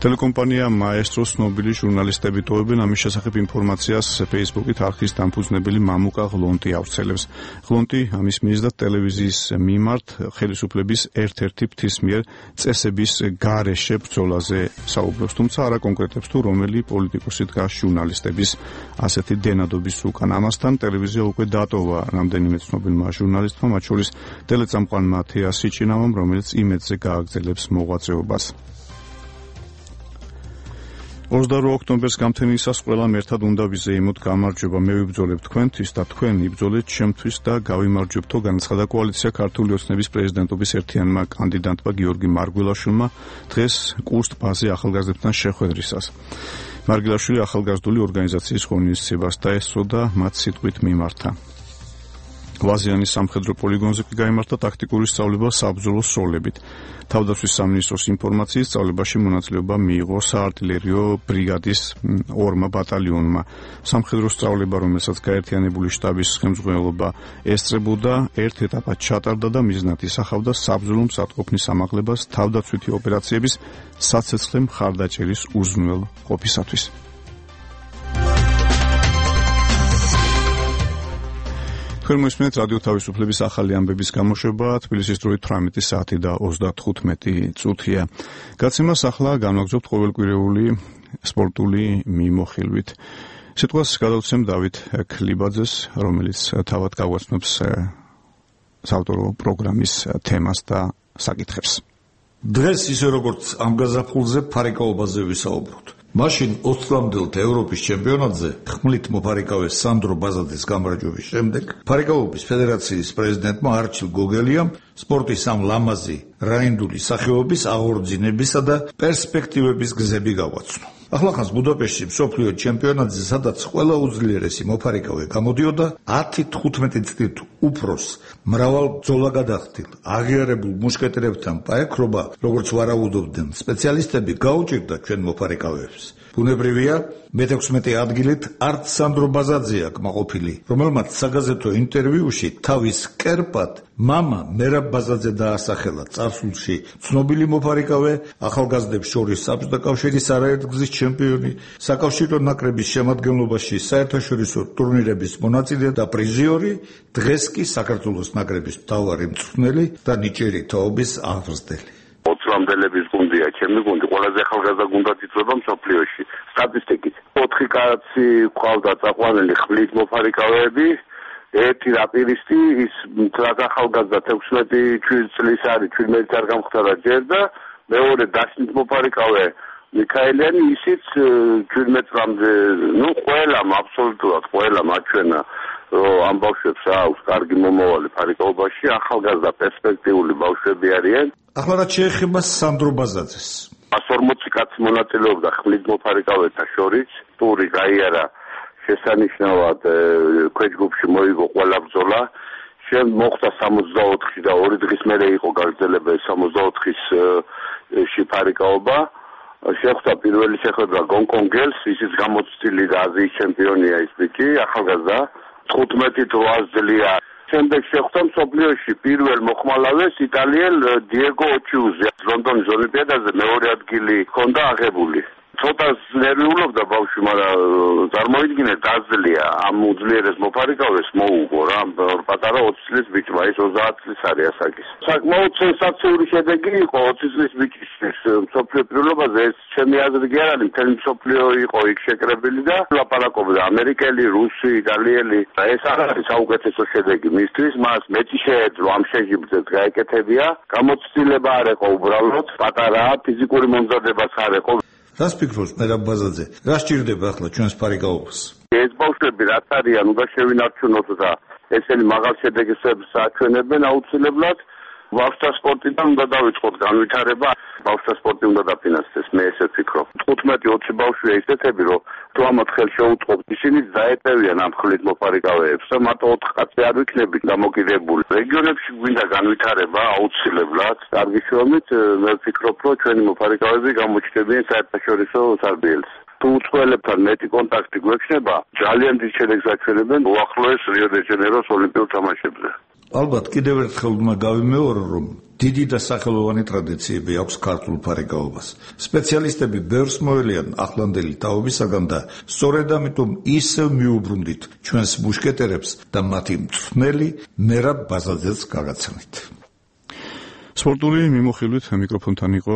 ტელეკომპანია მაესტროს ცნობილი ჟურნალისტები ტოვებენ ამის შესახებ ინფორმაციას Facebook-ით არხის დამფუძნებელი მამუკა ღლონტი ავრცელებს. ღლონტი ამის მიზნად ტელევიზიის მიმართ ხელისუფლების ერთ-ერთი ფრთის მიერ წესების გარეშე ბრძოლაზე საუბრობს, თუმცა არ აკონკრეტებს თუ რომელი პოლიტიკოსი დგას ჟურნალისტების ასეთი დენადობის უკან. ამასთან ტელევიზია უკვე დატოვა რამდენიმე ცნობილმა ჟურნალისტმა, მათ შორის ტელეწამყვან მათეას სიჭინავამ, რომელიც იმედზე გააგრძელებს მოღვაწეობას. 22 ოქტომბერს გამთენისას ყველამ ერთად უნდა ვიზეიმოთ გამარჯვება. მე ვიბრძოლებ თქვენთვის და თქვენ იბრძოლეთ ჩემთვის და გავიმარჯვებთო, განაცხადა კოალიცია ქართული ოცნების პრეზიდენტობის ერთიანმა კანდიდატმა გიორგი მარგველაშვილმა დღეს კურსტ-ბაზე ახალგაზრდებთან შეხვედრისას. მარგველაშვილი ახალგაზრდული ორგანიზაციის ღონისძიებას დაესწრო და მათ სიტყვით მიმართა. ვაზიანის სამხედრო პოლიგონზე კი გაიმართა ტაქტიკური სწავლება საბრძოლო სროლებით. თავდაცვის სამინისტროს ინფორმაციით სწავლებაში მონაწილეობა მიიღო საარტილერიო ბრიგადის 2 ბატალიონმა. სამხედრო სწავლება, რომელსაც გაერთიანებული შტაბის ხელმძღვანელობა ესწრებოდა, ერთ ეტაპად ჩატარდა და მიზნად ისახავდა საბრძოლო მზადყოფნის ამაღლებას თავდაცვითი ოპერაციების საცეცხლე მხარდაჭერის უზრუნველ ყოფისათვის. თქვენ მოისმენთ რადიო თავისუფლების ახალი ამბების გამოშვება, თბილისის დროით 18 საათი და 35 წუთია. გაცემას ახლა განვაგრძობთ ყოველკვირეული სპორტული მიმოხილვით. სიტყვას გადავცემ დავით ქლიბაძეს, რომელიც თავად გაგვაცნობს საავტორო პროგრამის თემას და საკითხებს. დღეს ისე როგორც ამ გაზაფხულზე ფარიკაობაზე ვისაუბროთ. მაშინ 20-მდელთ ევროპის ჩემპიონატზე ხმლით მოფარიკავე სანდრო ბაზაძის გამარჯვების შემდეგ ფარიკაობის ფედერაციის პრეზიდენტმა არჩილ გოგელიამ სპორტის ამ ლამაზი რაინდული სახეობის აღორძინებისა და პერსპექტივების გზები გავაცნო. ახლახანს ბუდაპეშტში მსოფლიო ჩემპიონატზე, სადაც ყველა უძლიერესი მოფარიკავე გამოდიოდა, 10-15 წლით უფროს მრავალ ბრძოლა გადახდილ აღიარებულ მუშკეტერებთან პაექრობა, როგორც ვარაუდობდნენ სპეციალისტები, გაუჭირდა ჩვენ მოფარიკავეებს. ბუნებრივია, მე-16 ადგილით არც სანდრო ბაზაძეა კმაყოფილი, რომელმაც საგაზეთო ინტერვიუში თავის კერპად მამა მერაბ ბაზაძე დაასახელა წარსულში ცნობილი მოფარიკავე, ახალგაზრდებს შორის საბჭოთა კავშირის არაერთგზის ჩემპიონი, საკავშირო ნაკრების შემადგენლობაში საერთაშორისო ტურნირების მონაწილე და პრიზიორი, დღეს კი საქართველოს ნაკრების მთავარი მწვრთნელი და ნიჭიერი თაობის აღზრდელი. 20-მდელების გუნდია, ჩემი გუნდი, ყველაზე ახალგაზრდა გუნდად იწვება მსოფლიოში. სტატისტიკით 4 კაცი ყავდა წაყვანილი ხმლით მოფარიკავეები, ერთი რაპირისტი, ის ახალგაზრდა 16 წლის არის, 17 არ გამხდარა ჯერ და მეორე დაშნით მოფარიკავე მიქაელიანი, ისიც 17 წლამდე, ყველამ აბსოლუტურად ყველამ აჩვენა, რომ ამ ბავშვებს აქვს კარგი მომავალი ფარიკაობაში, ახალგაზრდა პერსპექტიული ბავშვები არიან. ახლა რაც შეეხება სანდრო ბაზაძეს. 140 კაცი მონაწილეობდა ხმლით მოფარიკავეთა შორის, ტური გაიარა შესანიშნავად, ქვეჯგუფში მოიგო ყველა ბრძოლა. შემდეგ მოხდა 64-ში და 2 დღის მერე იყო გაგრძელება 64-ში ფარიკაობა. შეხვდა პირველი შეხვედრა გონკონგელს, ისიც გამოცდილი და აზიის ჩემპიონია ის ბიჭი, ახალგაზრდა, 15-8 წლია. შემდეგ შეხვდა მსოფლიოში პირველ მოხმალავეს იტალიელ დიეგო ოჩიუზე. ლონდონის ოლიმპიადაზე მეორე ადგილი ჰქონდა აღებული. ცოტა ნერვიულობდა ბავშვი, მაგრამ წარმოიდგინე დაძლია ამ უძლიერეს მოფარიკავეს მოუგო რა, პატარა 20 წლის ბიჭმა, ის 30 წლის არის ასაკის. საკმაოდ სენსაციური შედეგი იყო 20 წლის ბიჭისთვის მსოფლიო პირველობაზე, ეს ჩემი აზრით კი არ არის, მთელი მსოფლიო იყო იქ შეკრებილი და ლაპარაკობდა ამერიკელი, რუსი, იტალიელი. ეს არ არის საუკეთესო შედეგი მისთვის, მას მეტი შეეძლო ამ შეჯიბრზეც გაეკეთებია. გამოცდილება არ იყო უბრალოდ, პატარაა, ფიზიკური მომზადებაც არ იყო. რას ფიქრობს მერაბ ბაზაძე? რა სჭირდება ახლა ჩვენს ფარიკაობას? ეს ბავშვები რაც არიან, უნდა შევინარჩუნოთ და ესენი მაღალ შედეგებს აჩვენებენ აუცილებლად. ბავშვთა სპორტიდან უნდა დავიწყოთ განვითარება, ბავშვთა სპორტი უნდა დაფინანსდეს, მე ესე ვფიქრობ. 15-20 ბავშვია ისეთები, რომ თუ ამათ ხელს შეუწყობთ, ისინი დაეტევიან ამ ხმლით მოფარიკავეებს და მარტო 4 კაცი არ ვიქნებით დამოკიდებული. რეგიონებში გვინდა განვითარება აუცილებლად. კარგი შრომით მე ვფიქრობ, რომ ჩვენი მოფარიკავეები გამოჩნდებიან საერთაშორისო სარბიელს. თუ უცხოელებთან მეტი კონტაქტი გვექნება, ძალიან დიდ შედეგს აჩვენებენ უახლოეს რიო-დე-ჟანეიროს ოლიმპიურ თამაშებზე. ალბათ კიდევ ერთხელ უნდა გავიმეორო, რომ დიდი და სახელოვანი ტრადიციები აქვს ქართულ ფარიკაობას. სპეციალისტები ბევრს მოელიან ახლანდელი თაობისაგან და სწორედ ამიტომ ისევ მიუბრუნდით ჩვენს მუშკეტერებს და მათი მწვრთნელი მერაბ ბაზაძეს გაგაცნით. სპორტული მიმოხილვით მიკროფონთან იყო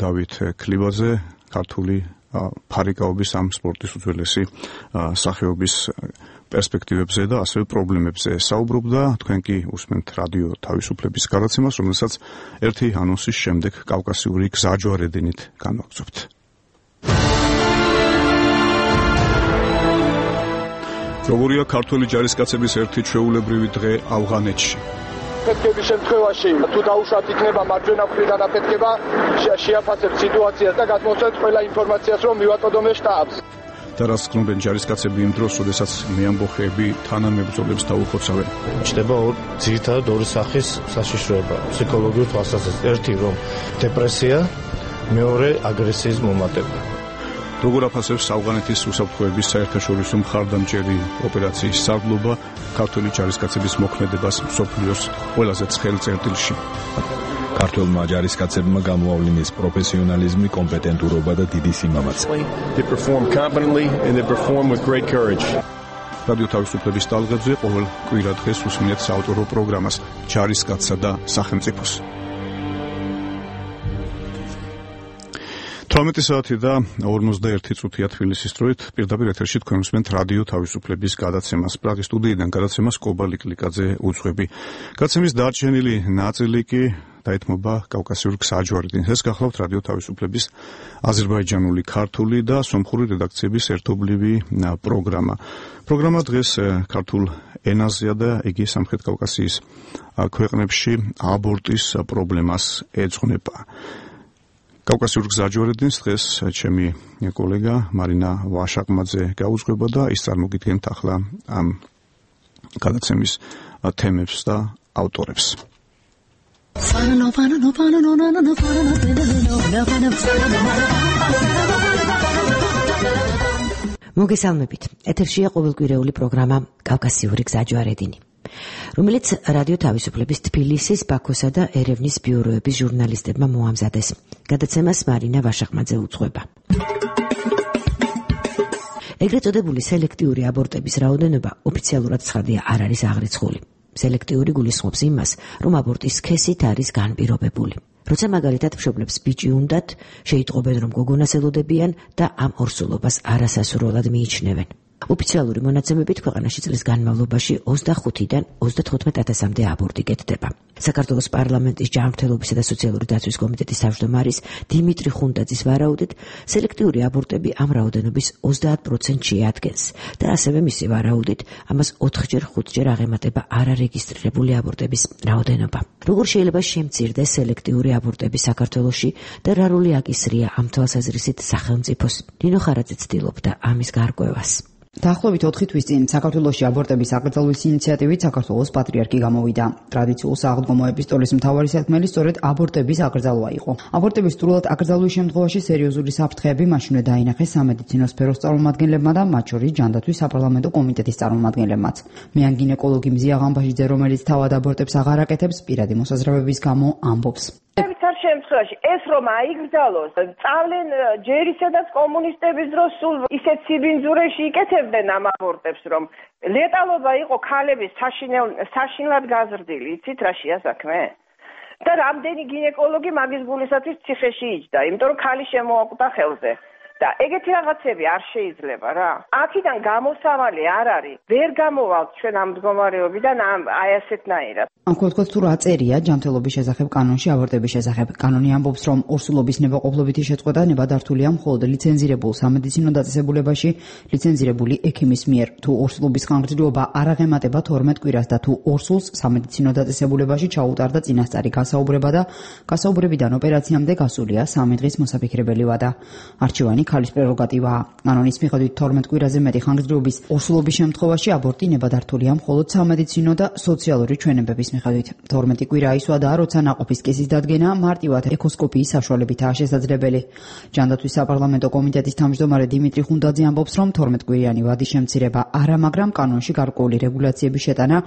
დავით ქლიბაძე, ქართული ფარიკაობის ამ სპორტის უძველესი სახეობის პერსპექტივებზე და ასევე პრობლემებზე საუბრობდა. თქვენ კი უსმენთ რადიო თავისუფლების გადაცემას, რომელსაც ერთი ანონსის შემდეგ კავკასიური გზაჯვარედინით განვაგრძობთ. როგორია ქართველი ჯარისკაცების ერთი ჩვეულებრივი დღე ავღანეთში? აფეთქების შემთხვევაში თუ დაუშვათ იქნება მარჯვენა მხრიდან აფეთქება, შეაფასებთ სიტუაციას და გადმოსცემთ ყველა ინფორმაციას, რომ მივაწოდოთ შტაბს. და რაც გქნობენ ჯარისკაცები იმ დროს, როდესაც მეამბოხეები თანამებრძოლებს დაუხოცავენ. ჩნდება ძირითადად ორი სახის საშიშროება ფსიქოლოგიურ თვალსაზრისით. ერთი რომ დეპრესია, მეორე აგრესიის მომატება. როგორ აფასებს ავღანეთის უსაფრთხოების საერთაშორისო მხარდამჭერი ოპერაციის სარდლობა ქართული ჯარისკაცების მოქმედებას მსოფლიოს ყველაზე ცხელ წერტილში? ქართველმა ჯარისკაცებმა გამოავლინეს პროფესიონალიზმი, კომპეტენტურობა და დიდი სიმამაცე. რადიო თავისუფლების ტალღებზე ყოველ კვირა დღეს უსმენთ საავტორო პროგრამას ჯარისკაცსა და სახელმწიფოს. 18 საათი და 51 წუთია თბილისის დროით. პირდაპირ ეთერში თქვენ უსმენთ რადიო თავისუფლების გადაცემას. პრაღის სტუდიიდან გადაცემას კობალი კლიკაძე უძღვები. გადაცემის დარჩენილი ნაწილი კი დაეთმობა კავკასიურ გზაჯვარედინს. ეს გახლავთ რადიო თავისუფლების აზერბაიჯანული, ქართული და სომხური რედაქციების ერთობლივი პროგრამა. პროგრამა დღეს ქართულ ენაზეა და იგი სამხრეთ კავკასიის ქვეყნებში აბორტის პრობლემას ეძღვნება. კავკასიურ გზაჯვარედინს დღეს ჩემი კოლეგა მარინა ვაშაკმაძე გაუძღვება და ის წარმოგიდგენთ ახლა ამ გადაცემის თემებს და ავტორებს. მოგესალმებით. ეთერშია ყოველკვირეული პროგრამა კავკასიური გზაჯვარედინი, რომელიც რადიო თავისუფლების თბილისის, ბაქოსა და ერევნის ბიუროების ჟურნალისტებმა მოამზადეს. გადაცემას მარინა ვაშაკმაძე უძღვება. ეგრეთ წოდებული სელექტიური აბორტების რაოდენობა ოფიციალურად ცხადია არ არის აღრიცხული. სელექტიური გულისხმობს იმას, რომ აბორტის სქესით არის განპირობებული. როცა მაგალითად მშობლებს ბიჭი უნდათ, შეიტყობენ, რომ გოგონას ელოდებიან და ამ ორსულობას არასასურველად მიიჩნევენ. ოფიციალური მონაცემებით ქვეყანაში წლის განმავლობაში 25-დან 35,000-მდე აბორტი კეთდება. საქართველოს პარლამენტის ჯანმრთელობისა და სოციალური დაცვის კომიტეტის თავმჯდომარის დიმიტრი ხუნდაძის ვარაუდით, სელექტიური აბორტები ამ რაოდენობის 30%-ს შეადგენს და ასევე მისი ვარაუდით, ამას 4-5-ჯერ აღემატება არარეგისტრირებული აბორტების რაოდენობა. როგორ შეიძლება შემცირდეს სელექტიური აბორტები საქართველოში და რა როლი აკისრია ამ თვალსაზრისით სახელმწიფოს? ნინო ხარაძე ცდილობდა ამის გარკვევას. დაახლოებით 4 თვის წინ საქართველოში აბორტების აკრძალვის ინიციატივით საქართველოს პატრიარქი გამოვიდა. ტრადიციულ სააღდგომო ეპისტოლის მთავარი სათქმელი სწორედ აბორტების აკრძალვა იყო. აბორტების სრულად აკრძალვის შემთხვევაში სერიოზული საფრთხეები მაშინვე დაინახეს სამედიცინო სფეროს წარმომადგენლებმა და მათ შორის ჯანდაცვის საპარლამენტო კომიტეტის წარმომადგენლებმაც. მეან გინეკოლოგი მზია ღამბაჟიძე, რომელიც თავად აბორტებს აღარ აკეთებს, პირადი მოსაზრებების გამო ამბობს. შემთხვევაში ეს რომ აიგრძალოს, წავლენ ჯერ ისედაც კომუნისტების დროს სულ ისეთ სიბინძურეში იკეთებდნენ ამ აბორტებს, რომ ლეტალობა იყო ქალების საშინლად გაზრდილი. იცით რა შეასაქმე? და რამდენი გინეკოლოგი მაგის გულისათვის ციხეში იჯდა, იმიტომ რომ ქალი შემოაკვდა ხელზე. და ეგეთი რაღაცები არ შეიძლება რა. აქედან გამოსავალი არ არის. ვერ გამოვალთ ჩვენ ამ მდგომარეობიდან აი ასეთნაირად. ამ თქვათ თუ რა წერია ჯანმრთელობის შესახებ კანონში აბორტების შესახებ. კანონი ამბობს, რომ ორსულობის ნებაყოფლობითი შეწყვეტა ნებადართულია მხოლოდ ლიცენზირებულ სამედიცინო დაწესებულებაში, ლიცენზირებული ექიმის მიერ. თუ ორსულობის ხანგრძლივობა არ აღემატება 12 კვირას და თუ ორსულს სამედიცინო დაწესებულებაში ჩაუტარდა წინასწარი გასაუბრება და გასაუბრებიდან ოპერაციამდე გასულია 3 დღის მოსაფიქრებელი ვადა. არჩევანი ქალის პრეროგატივაა. კანონის მიხედვით 12 კვირაზე მეტი ხანგრძლივობის ორსულობის შემთხვევაში აბორტი ნებადართულია მხოლოდ სამედიცინო და სოციალური ჩვენებების მიხედვით. 12 კვირა ისვადა, როცა ნაყოფის კისის დადგენა მარტივად ეკოსკოპიის საშუალებითაა შესაძლებელი. ჯანდაცვის საპარლამენტო კომიტეტის თავმჯდომარე დიმიტრი ხუნდაძე ამბობს, რომ 12 კვირიანი ვადის შემცირება არა, მაგრამ კანონში გარკვეული რეგულაციების შეტანა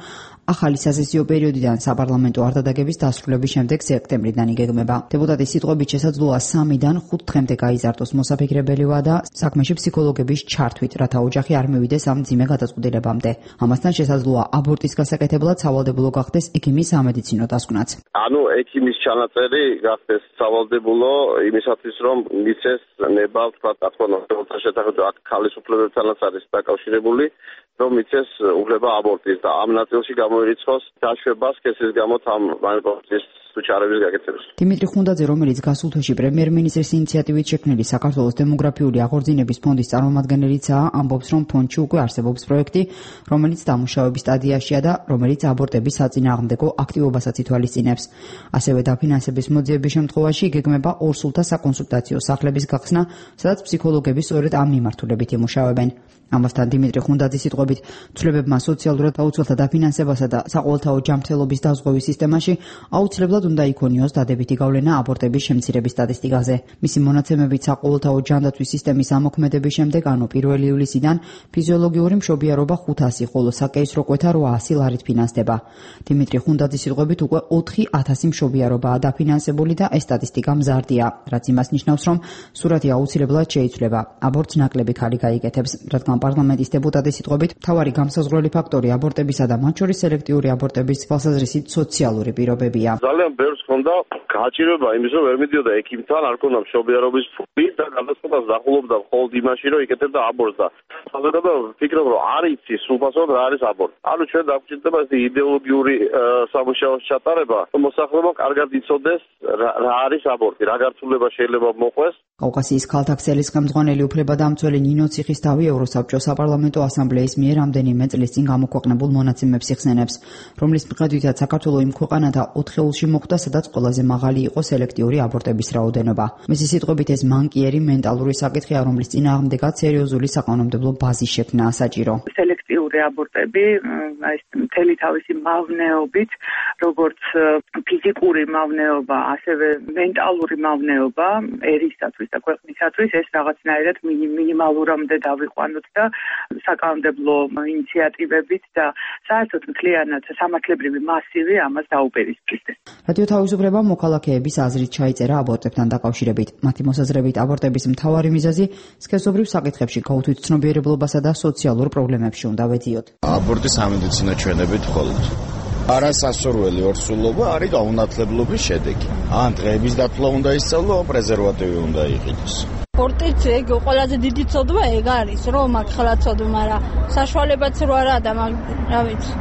ახალი სასესიო პერიოდიდან საპარლამენტო არდადაგების დასრულების შემდეგ სექტემბრიდან იგეგმება. დეპუტატის სიტყვებით შესაძლოა 3-დან 5 დღემდე გაიზარდოს მოსაფიქრებელი ვადა საქმეში ფსიქოლოგების ჩართვით, რათა ოჯახი არ მივიდეს ამ მძიმე გადაწყვეტილებამდე. ამასთან შესაძლოა აბორტის გასაკეთებლად სავალდებულო გახდეს ექიმის სამედიცინო დასკვნაც. ექიმის ჩანაწერი გახდეს სავალდებულო იმისათვის, რომ მიცეს ნება, თქვა, ათქონოთა შეთანხმება აქ ქალის უფლებებთანაც არის დაკავშირებული, რომ მიცეს უფლება აბორტის და ამ ნაწილში გამოირიცხოს დაშვება სქესის გამოთ ამ მანიპულაციის უჩარების გაკეთებას. დიმიტრი ხუნდაძე, რომელიც გასულ თვეში პრემიერ-მინისტრის ინიციატივით შექმნილი საქართველოს დემოგრაფიული აღორძინების ფონდის წარმომადგენლიცაა, ამბობს, რომ ფონდში უკვე არსებობს პროექტი, რომელიც დამუშავების სტადიაშია და რომელიც აბორტების საწინააღმდეგო აქტივობასაც ითვალისწინებს. ასევე დაფინანსების მოძიების შემთხვევაში იგეგმება ორსულთა საკონსულტაციო სახლების გახსნა, სადაც ფსიქოლოგები სწორედ ამ მიმართულებით იმუშავებენ. ამასთან დიმიტრი ხუნდაძის სიტყვებით, ცვლილებებმა სოციალურად გაუცველთა დაფინანსებასა და საყოველთაო ჯანმრთელობის დაზღვევის სისტემაში აუცილებლად უნდა იქონიოს დადებითი გავლენა აბორტების შემცირების სტატისტიკაზე. მისი მონაცემებით საყოველთაო ჯანდაცვის სისტემის ამოქმედების შემდეგ, ანუ 1 ივლისიდან ფიზიოლოგიური მშობიარობა 500, ხოლო საკეისრო კვეთა 800 ლარით ფინანსდება. დიმიტრი ხუნდაძის სიტყვებით, უკვე 4000 მშობიარობაა დაფინანსებული და ეს სტატისტიკა მზარდია, რაც იმას ნიშნავს, რომ სურათი აუცილებლად შეიცვლება. აბორტს ნაკლები ქალი გაიგეთებს, რადგან პარლამენტის დეპუტატის სიტყვებით, მთავარი გამსაზღვრელი ფაქტორი აბორტებისა და მათ შორის სელექტიური აბორტების თვალსაზრისით სოციალური პირობებია. ძალიან ბევრს ჰქონდა გააჭიროება იმის, რომ ვერ მიდიოდა ექიმთან, არ ჰქონდა მშობიარობის ფული და გადაწყვეტას დახულობდა მხოლოდ იმაში, რომ იკეთებდა აბორტს და საზოგადოება ვფიქრობ, რომ არ იცის სრულფასოდ რა არის აბორტი. ჩვენ დაგვჭირდება ეს იდეოლოგიური სამუშაოს ჩატარება, რომ მოსახლეობა კარგად იცოდეს რა არის აბორტი, რა გართულება შეიძლება მოყვეს. კავკასიის ქალთა ქსელის ხელმძღვანელი უფლებადამცველი ნინო ციხისთავი ევროსაბჭოს საპარლამენტო ასამბლეის მიერ რამდენიმე წლის წინ გამოქვეყნებულ მონაცემებს იხსენებს, რომლის მიხედვითაც საქართველო იმ ქვეყანათა 4-ში მოხვდა, სადაც ყველაზე მაღალი იყო სელექტიური აბორტების რაოდენობა. მისი სიტყვებით, ეს მანკიერი მენტალური საკითხია, რომლის წინააღმდეგაც სერიოზული საკანონმდებლო ბაზის შექმნაა საჭირო. სელექტიური აბორტები, ეს მთელი თავისი მავნეობით, როგორც ფიზიკური მავნეობა, ასევე მენტალური მავნეობა ერისათვის და ქვეყნისათვის, ეს რაღაცნაირად მინიმალურამდე დავიყვანოთ და საკანონმდებლო ინიციატივებით და საერთოდ მთლიანად სამართლებრივი მასივი ამას დაუპირისპირდეს. რადიო თავისუფლებამ მოქალაქეების აზრით ჩაიწერა აბორტებთან დაკავშირებით. მათი მოსაზრებით, აბორტების მთავარი მიზეზი სქესობრივ საკითხებში გაუთვითცნობიერებლობასა და სოციალურ პრობლემებში უნდა ვედიოთ. აბორტი სამედიცინო ჩვენებით მხოლოდ არასასურველი ორსულობა არის გაუნათლებლობის შედეგი. ან დღეების დათვლა უნდა ისწავლო, პრეზერვატივი უნდა იყიდოს. სპორტიც ეგ ყველაზე დიდი ცოდვა ეგ არის, რომ აქ ხელა ცოდვა, მაგრამ საშუალებაც რო არა და რა ვიცი.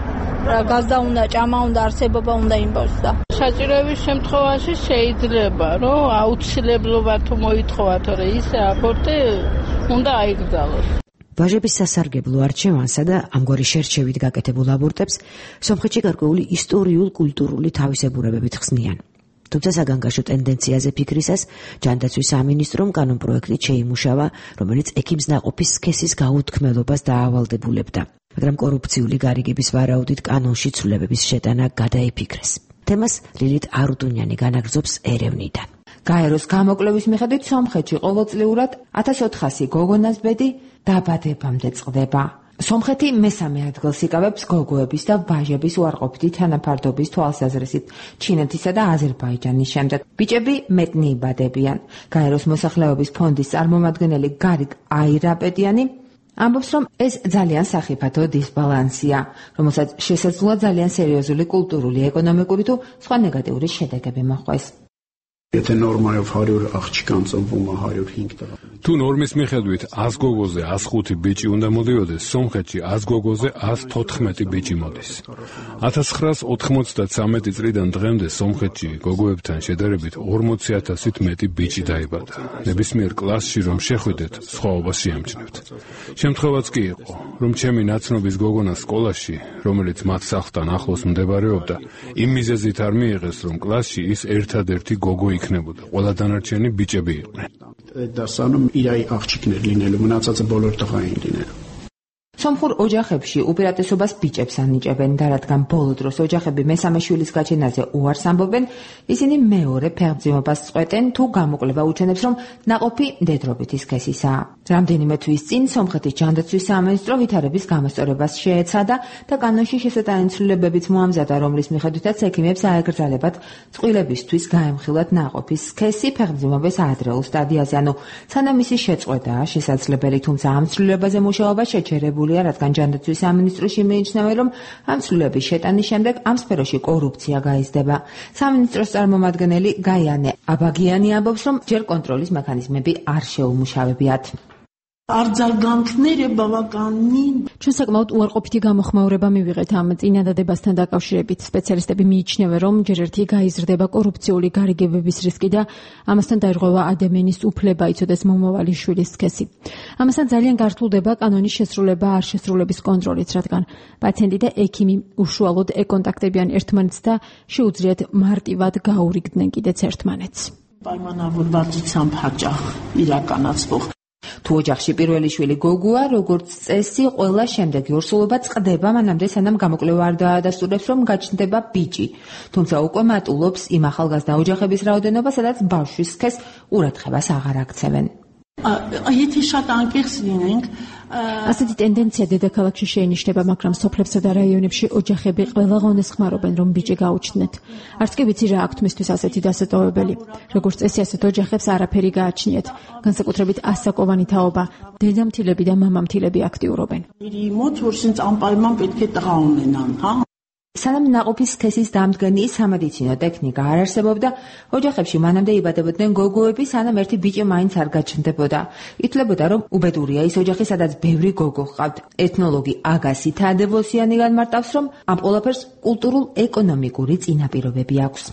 გაზდა უნდა, ჭამა უნდა, არსებობა უნდა იმბოს და საჭიროების შემთხვევაში შეიძლება, რომ აუცილებლობა თუ მოითხოვათ, რომ ის აბორტი უნდა აიგზავნოს. ვაჟების სასარგებლო არჩევანსა და ამგვარი შერჩევით გაკეთებულ აბორტებს სომხეთში გარკვეული ისტორიულ-კულტურული თავისებურებებით ხსნიან. თუმცა საგანგაშო ტენდენციაზე ფიქრისას ჯანდაცვის სამინისტრომ კანონპროექტით შეიმუშავა, რომელიც ექიმს ნაყოფის სქესის გაუთქმელობას დაავალდებულებდა. მაგრამ კორუფციული გარიგების ვარაუდით კანონში ცვლილებების შეტანა გადაიფიქრეს. თემას ლილით არუდუნიანი განაგრძობს ერევნიდან. გაეროს გამოკვლევის მიხედვით სომხეთში ყოველწლიურად 1400 გოგონას ბედი დაბადებამდე წყდება. სომხეთი მესამე ადგილს იკავებს გოგოების და ვაჟების უარყოფითი თანაფარდობის თვალსაზრისით ჩინეთისა და აზერბაიჯანის შემდეგ. ბიჭები მეტნი იბადებიან. გაეროს მოსახლეობის ფონდის წარმომადგენელი გარიგ აირაპედიანი ამბობს, რომ ეს ძალიან სახიფათო დისბალანსია, რომელსაც შესაძლოა ძალიან სერიოზული კულტურული, ეკონომიკური თუ სხვა ნეგატიური შედეგები მოჰყვეს. Եթե նորմայով 100 աղջիկ անծնվում է 105 տղա. Თუ ნორმის მიხედვით 100 გოგოზე 105 ბიჭი უნდა მოდიოდეს, სომხეთში 100 გოგოზე 114 ბიჭი მოდის. 1993 წლიდან დღემდე სომხეთში გოგოებთან შედარებით 40000-ით მეტი ბიჭი დაიბადა. ნებისმიერ კლასში რომ შეხვიდეთ, სხვაობას შეამჩნევთ. შემთხვევაც კი იყო, რომ ჩემი ნაცნობის გოგონა სკოლაში, რომელიც მათ სახლთან ახლოს მდებარეობდა, იმ მიზეზით არ მიიღეს, რომ კლასში ის ერთადერთი გოგო იქნებოდა. ყველა დანარჩენი ბიჭები იყვნენ. Դասանում իրայի աղջիկներ լինելու, մնացածը բոլոր տղա էին լինելու. სომხურ ოჯახებში უპირატესობას ბიჭებს ანიჭებენ და რადგან ბოლო დროს ოჯახები მესამე შვილის გაჩენაზე უარს ამბობენ, ისინი მეორე ფეხმძიმობას წყვეტენ თუ გამოკლება უჩვენებს, რომ ნაყოფი მდედრობითი სქესისაა. რამდენიმე თვის წინ სომხეთის ჯანდაცვის სამინისტრო ვითარების გამოსწორებას შეეცადა და კანონში შესატანი ცვლილებებიც მოამზადა, რომლის მიხედვითაც ექიმებს აეკრძალებათ წყვილებისთვის გაემხილათ ნაყოფის სქესი ფეხმძიმობის ადრეულ სტადიაზე, ანუ სანამ მისი შეწყვეტაა შესაძლებელი, თუმცა ამ ცვლილებაზე მუშაობა შეჩერებულია, რადგან ჯანდაცვის სამინისტროში მიიჩნევენ, რომ ამ ცვლილების შეტანის შემდეგ ამ სფეროში კორუფცია გაიზრდება. სამინისტროს წარმომადგენელი გაიანე აბაგიანი ამბობს, რომ ჯერ კონტროლის მექანიზმები არ შეუმუშავებიათ. ჩვენ საკმაოდ უარყოფითი გამოხმაურება მივიღეთ ამ წინადადებასთან დაკავშირებით. სპეციალისტები მიიჩნევენ, რომ ჯერ ერთი გაიზრდება კორუფციული გარიგებების რისკი და ამასთან დაირღვევა ადამიანის უფლება იცოდეს მომავალი შვილის სქესი. ამასთან ძალიან გართულდება კანონის შესრულება არ შესრულების კონტროლით, რადგან პაციენტი და ექიმი უშუალოდ ეკონტაქტებიან ერთმანეთს და შეუძლიათ მარტივად გაურიგდნენ კიდეც ერთმანეთს. თუ ოჯახში პირველი შვილი გოგოა, როგორც წესი, ყველა შემდეგი ორსულობა წყდება მანამდე, სანამ გამოკლება არ დაადასტურებს, რომ გაჩნდება ბიჭი. თუმცა უკვე მატულობს იმ ახალგაზრდა ოჯახების რაოდენობა, სადაც ბავშვის სქესს ყურადღებას აღარ აქცევენ. ასეთი ტენდენცია დედაქალაქში შეინიშნება, მაგრამ სოფლებსა და რაიონებში ოჯახები ყველა ღონეს ხმარობენ, რომ ბიჭი გაუჩნდეთ. არც კი ვიცი რა აქვთ მისთვის ასეთი დასატოვებელი. როგორც წესი, ასეთ ოჯახებს არაფერი გააჩნიათ. განსაკუთრებით ასაკოვანი თაობა, დედამთილები და მამამთილები აქტიურობენ. სანამ ნაყოფის სქესის დამდგენი სამედიცინო ტექნიკა არ არსებობდა, ოჯახებში მანამდე იბადებოდნენ გოგოები, სანამ ერთი ბიჭი მაინც არ გაჩნდებოდა. ითვლებოდა, რომ უბედურია ის ოჯახი, სადაც ბევრი გოგო ჰყავთ. ეთნოლოგი აგასი თადევოსიანი განმარტავს, რომ ამ ყველაფერს კულტურულ-ეკონომიკური წინაპირობები აქვს.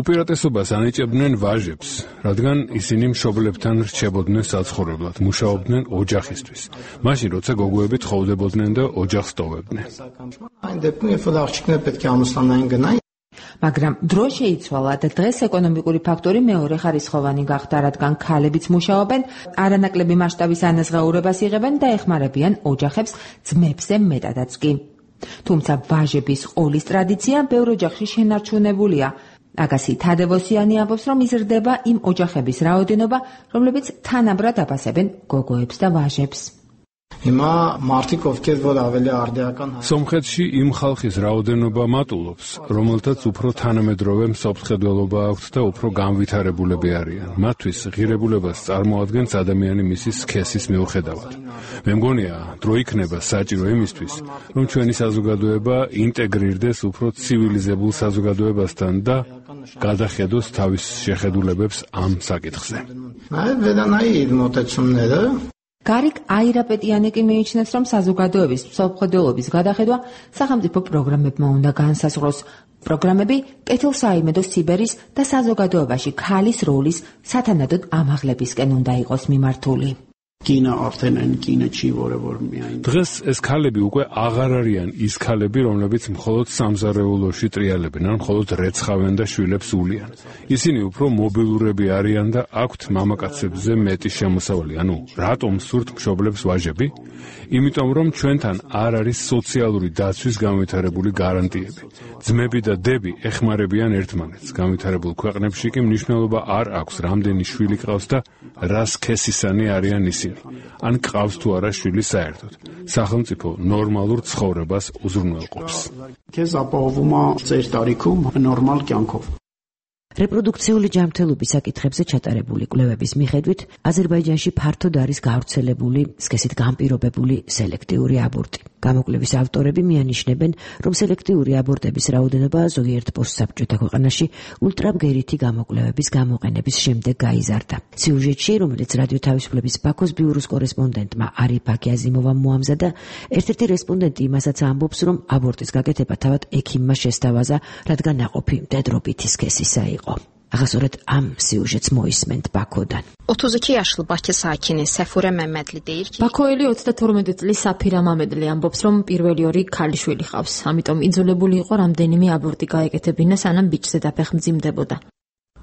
უპირატესობას ანიჭებდნენ ვაჟებს, რადგან ისინი მშობლებთან რჩებოდნენ საცხოვრებლად, მუშაობდნენ ოჯახისთვის. მაშინ, როცა გოგოები თხოვდებოდნენ და ოჯახს ტოვებდნენ. მაგრამ დრო შეიცვალა და დღეს ეკონომიკური ფაქტორი მეორე ხარისხოვანი გახდა, რადგან ქალებიც მუშაობენ, არანაკლები მასშტაბის ანაზღაურებას იღებენ და ეხმარებიან ოჯახებს ძმებზე მეტადაც კი. თუმცა ვაჟების ყოლის ტრადიცია ბევრ ოჯახში შენარჩუნებულია. აგასი თადევოსიანი ამბობს, რომ იზრდება იმ ოჯახების რაოდენობა, რომლებიც თანაბრად აფასებენ გოგოებს და ვაჟებს. სომხეთში იმ ხალხის რაოდენობა მატულობს, რომელთაც უფრო თანამედროვე მსოფლმხედველობა აქვთ და უფრო განვითარებულები არიან. მათთვის ღირებულებას წარმოადგენს ადამიანი მისი სქესის მიუხედავად. მე მგონია, დრო იქნება საჭირო იმისთვის, რომ ჩვენი საზოგადოება ინტეგრირდეს უფრო ცივილიზებულ საზოგადოებასთან და გადახედოს თავის შეხედულებებს ამ საკითხზე. გარიკ აირაპეტიანი კი მიიჩნევს, რომ საზოგადოების მსოფლმხედველობის გადახედვა სახელმწიფო პროგრამებმა უნდა განსაზღვროს. პროგრამები კეთილსაიმედო სიბერის და საზოგადოებაში ქალის როლის სათანადოდ ამაღლებისკენ უნდა იყოს მიმართული. დღეს ეს ქალები უკვე აღარ არიან ის ქალები, რომლებიც მხოლოდ სამზარეულოში ტრიალებენ ან მხოლოდ რეცხავენ და შვილებს ულიან. ისინი უფრო მობილურები არიან და აქვთ მამაკაცებზე მეტი შემოსავალი. ანუ რატომ სურთ მშობლებს ვაჟები? იმიტომ რომ ჩვენთან არ არის სოციალური დაცვის განვითარებული გარანტიები. ძმები და დები ეხმარებიან ერთმანეთს. განვითარებულ ქვეყნებში კი მნიშვნელობა არ აქვს, რამდენი შვილი ყავს და რა სქესისანი არიან ისინი. ან ყავს თუ არა შვილი საერთოდ. სახელმწიფო ნორმალურ ცხოვრებას უზრუნველყოფს. რეპროდუქციული ჯანმრთელობის საკითხებზე ჩატარებული კვლევების მიხედვით, აზერბაიჯანში ფართოდ არის გავრცელებული სქესით განპირობებული სელექტიური აბორტი. გამოკვლევის ავტორები მიანიშნებენ, რომ სელექტიური აბორტების რაოდენობა ზოგიერთ პოსტსაბჭოთა ქვეყანაში ულტრაბგერითი გამოკვლევების გამოყენების შემდეგ გაიზარდა. სიუჟეტში, რომელიც რადიო თავისუფლების ბაქოს ბიუროს კორესპონდენტმა არიფ აკიაზიმოვამ მოამზადა, ერთ-ერთი რესპონდენტი იმასაც ამბობს, რომ აბორტის გაკეთება თავად ექიმმა შესთავაზა, რადგან ნაყოფი მდედრობითი სქესისა იყო. Ağasöret am siujets moisment Bakodan. 32 yaşlı Bakı sakini Səfurə Məmmədli deyir ki, Bakoeli 32 წლის საფირა მამედლი ამბობს, რომ პირველი ორი ქალიშვილი ყავს. ამიტომ იძულებული იყო რამდენიმე აბორტი გაეკეთებინა, სანამ ბიჭზე დაფეხმძიმდებოდა.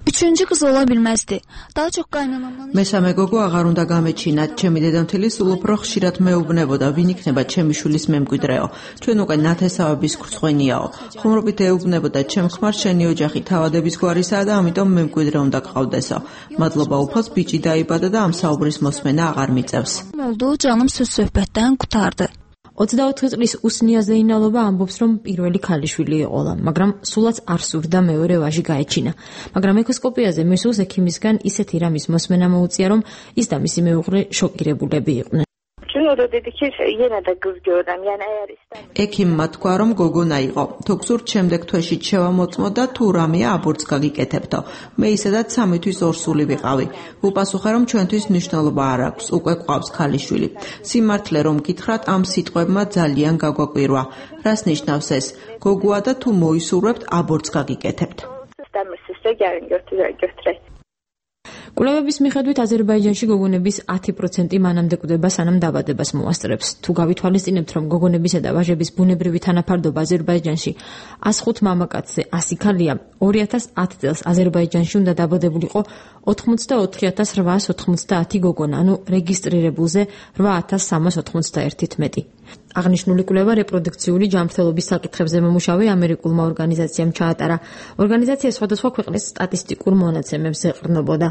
Üçüncü kız ola bilməzdi. Daha çox qaynanamdan. მესამე გოგო აღარ უნდა გამეჩინა. ჩემი დედამთილი სულ უფრო ხშირად მეუბნებოდა, ვინ იქნება ჩემი შვილის მემკვიდრეო. ჩვენ უკვე ნათესავების ხრწხვენიაო. ხუმრობით ეუბნებოდა, ჩემ ხმარ შენი ოჯახი თავადების გვარისაა და ამიტომ მემკვიდრე უნდა გყავდესო. მადლობა უფალს ბიჭი დაიბადა და ამ საუბრის მოსმენა აღარ მიწევს. Oldu, canım söz söhbətdən qurtardı. 24 წლის უსნია ზეინალობა ამბობს, რომ პირველი ქალიშვილი იყო, მაგრამ სულაც არ სურდა მეორე ვაჟი გაეჩინა. მაგრამ ეკოსკოპიაზე მისულს ექიმისგან ისეთი რამის მოსმენა მოუწია, რომ ის და მისი მეუღლე შოკირებულები იყვნენ. ექიმმა თქვა, რომ გოგონა იყო. თუ გსურთ შემდეგ თვეში შევამოწმო და თუ რამეა აბორტს გაგიკეთებთო. მე ისედაც 3 თვის ორსული ვიყავი. უპასუხე, რომ ჩვენთვის მნიშვნელობა არ აქვს, უკვე გვყავს ქალიშვილი. სიმართლე რომ გითხრათ, ამ სიტყვებმა ძალიან გაგვაკვირვა. რას ნიშნავს ეს? გოგოა და თუ მოისურვებთ, აბორტს გაგიკეთებთ. კვლევების მიხედვით აზერბაიჯანში გოგონების 10% მანამდე კვდება, სანამ დაბადებას მოასწრებს. თუ გავითვალისწინებთ, რომ გოგონებისა და ვაჟების ბუნებრივი თანაფარდობა აზერბაიჯანში 105 მამაკაცზე 100 ქალია, 2010 წელს აზერბაიჯანში უნდა დაბადებულიყო 84890 გოგონა, ანუ რეგისტრირებულზე 8391-ით მეტი. აღნიშნული კვლევა რეპროდუქციული ჯანმრთელობის საკითხებზე მომუშავე ამერიკულმა ორგანიზაციამ ჩაატარა. ორგანიზაცია სხვადასხვა ქვეყნის სტატისტიკურ მონაცემებს ეყრდნობოდა.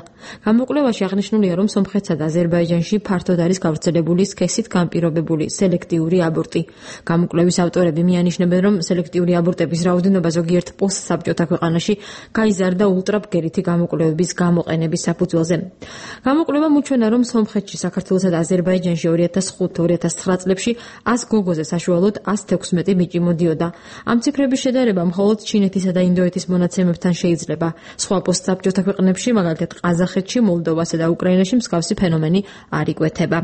გამოკვლევაში აღნიშნულია, რომ სომხეთსა და აზერბაიჯანში ფართოდ არის გავრცელებული სქესით განპირობებული სელექტიური აბორტი. გამოკვლევის ავტორები მიანიშნებენ, რომ სელექტიური აბორტების რაოდენობა ზოგიერთ პოსტსაბჭოთა ქვეყანაში გაიზარდა ულტრაბგერითი გამოკვლევების გამოყენების საფუძველზე. გამოკვლევამ უჩვენა, რომ სომხეთში, საქართველოსა და აზერბაიჯანში 2005-2009 წლებში 100 გოგოზე საშუალოდ 116 ბიჭი მოდიოდა. ამ ციფრების შედარება მხოლოდ ჩინეთისა და ინდოეთის მონაცემებთან შეიძლება. სხვა პოსტსაბჭოთა ქვეყნებში, მაგალითად ყაზახეთში, მოლდოვასა და უკრაინაში მსგავსი ფენომენი არ იკვეთება.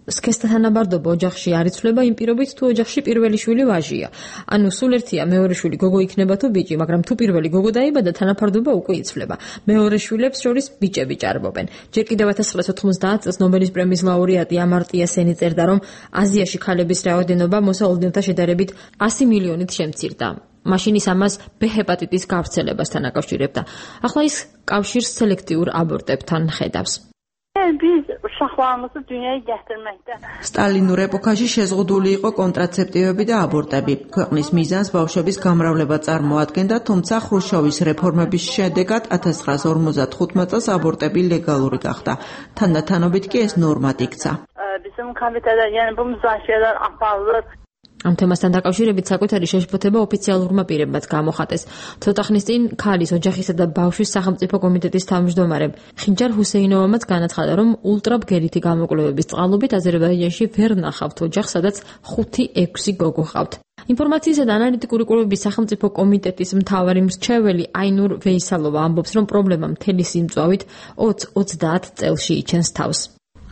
სქესთა თანაბარდობა ოჯახში არ იცვლება იმ პირობით, თუ ოჯახში პირველი შვილი ვაჟია. ანუ სულ ერთია მეორე შვილი გოგო იქნება თუ ბიჭი, მაგრამ თუ პირველი გოგო დაიბადა, თანაფარდობა უკვე იცვლება. მეორე შვილებს შორის ბიჭები ჭარბობენ. ჯერ კიდევ 1990 წელს ნობელის პრემიის ლაურეატი ამარტია სენი წერდა, რომ აზიაში ქალების რაოდენობა მოსავალდებთა შედარებით 100 მილიონით შემცირდა. მაშინ ის ამას B ჰეპატიტის გავრცელებასთან აკავშირებდა. ახლა ის კავშირს სელექტიურ აბორტებთან ხედავს. Biz uşaqlarımızı dünyaya gətirməkdə. სტალინურ ეპოქაში შეზღუდული იყო კონტრაცეპტივები და აბორტები. ქვეყნის მიზანს ბავშვების გამრავლება წარმოადგენდა, თუმცა ხრუშჩოვის რეფორმების შედეგად 1955 წელს აბორტები ლეგალური გახდა. თანდათანობით კი ეს ნორმად იქცა. Bizim komitədə, yəni bu müzakirələr aparılır. ამ თემასთან დაკავშირებით საკუთარი შეშფოთება ოფიციალურმა პირებმაც გამოხატეს. ცოტა ხნის წინ ქალის, ოჯახისა და ბავშვის სახელმწიფო კომიტეტის თავმჯდომარემ ხინჯარ ჰუსეინოვამაც განაცხადა, რომ ულტრაბგერითი გამოკვლევების წყალობით აზერბაიჯანში ვერ ნახავთ ოჯახს, სადაც 5-6 გოგო ჰყავთ. ინფორმაციისა და ანალიტიკური კვლევების სახელმწიფო კომიტეტის მთავარი მრჩეველი აინურ ვეისალოვა ამბობს, რომ პრობლემა მთელი სიმწვავით 20-30 წელში იჩენს თავს.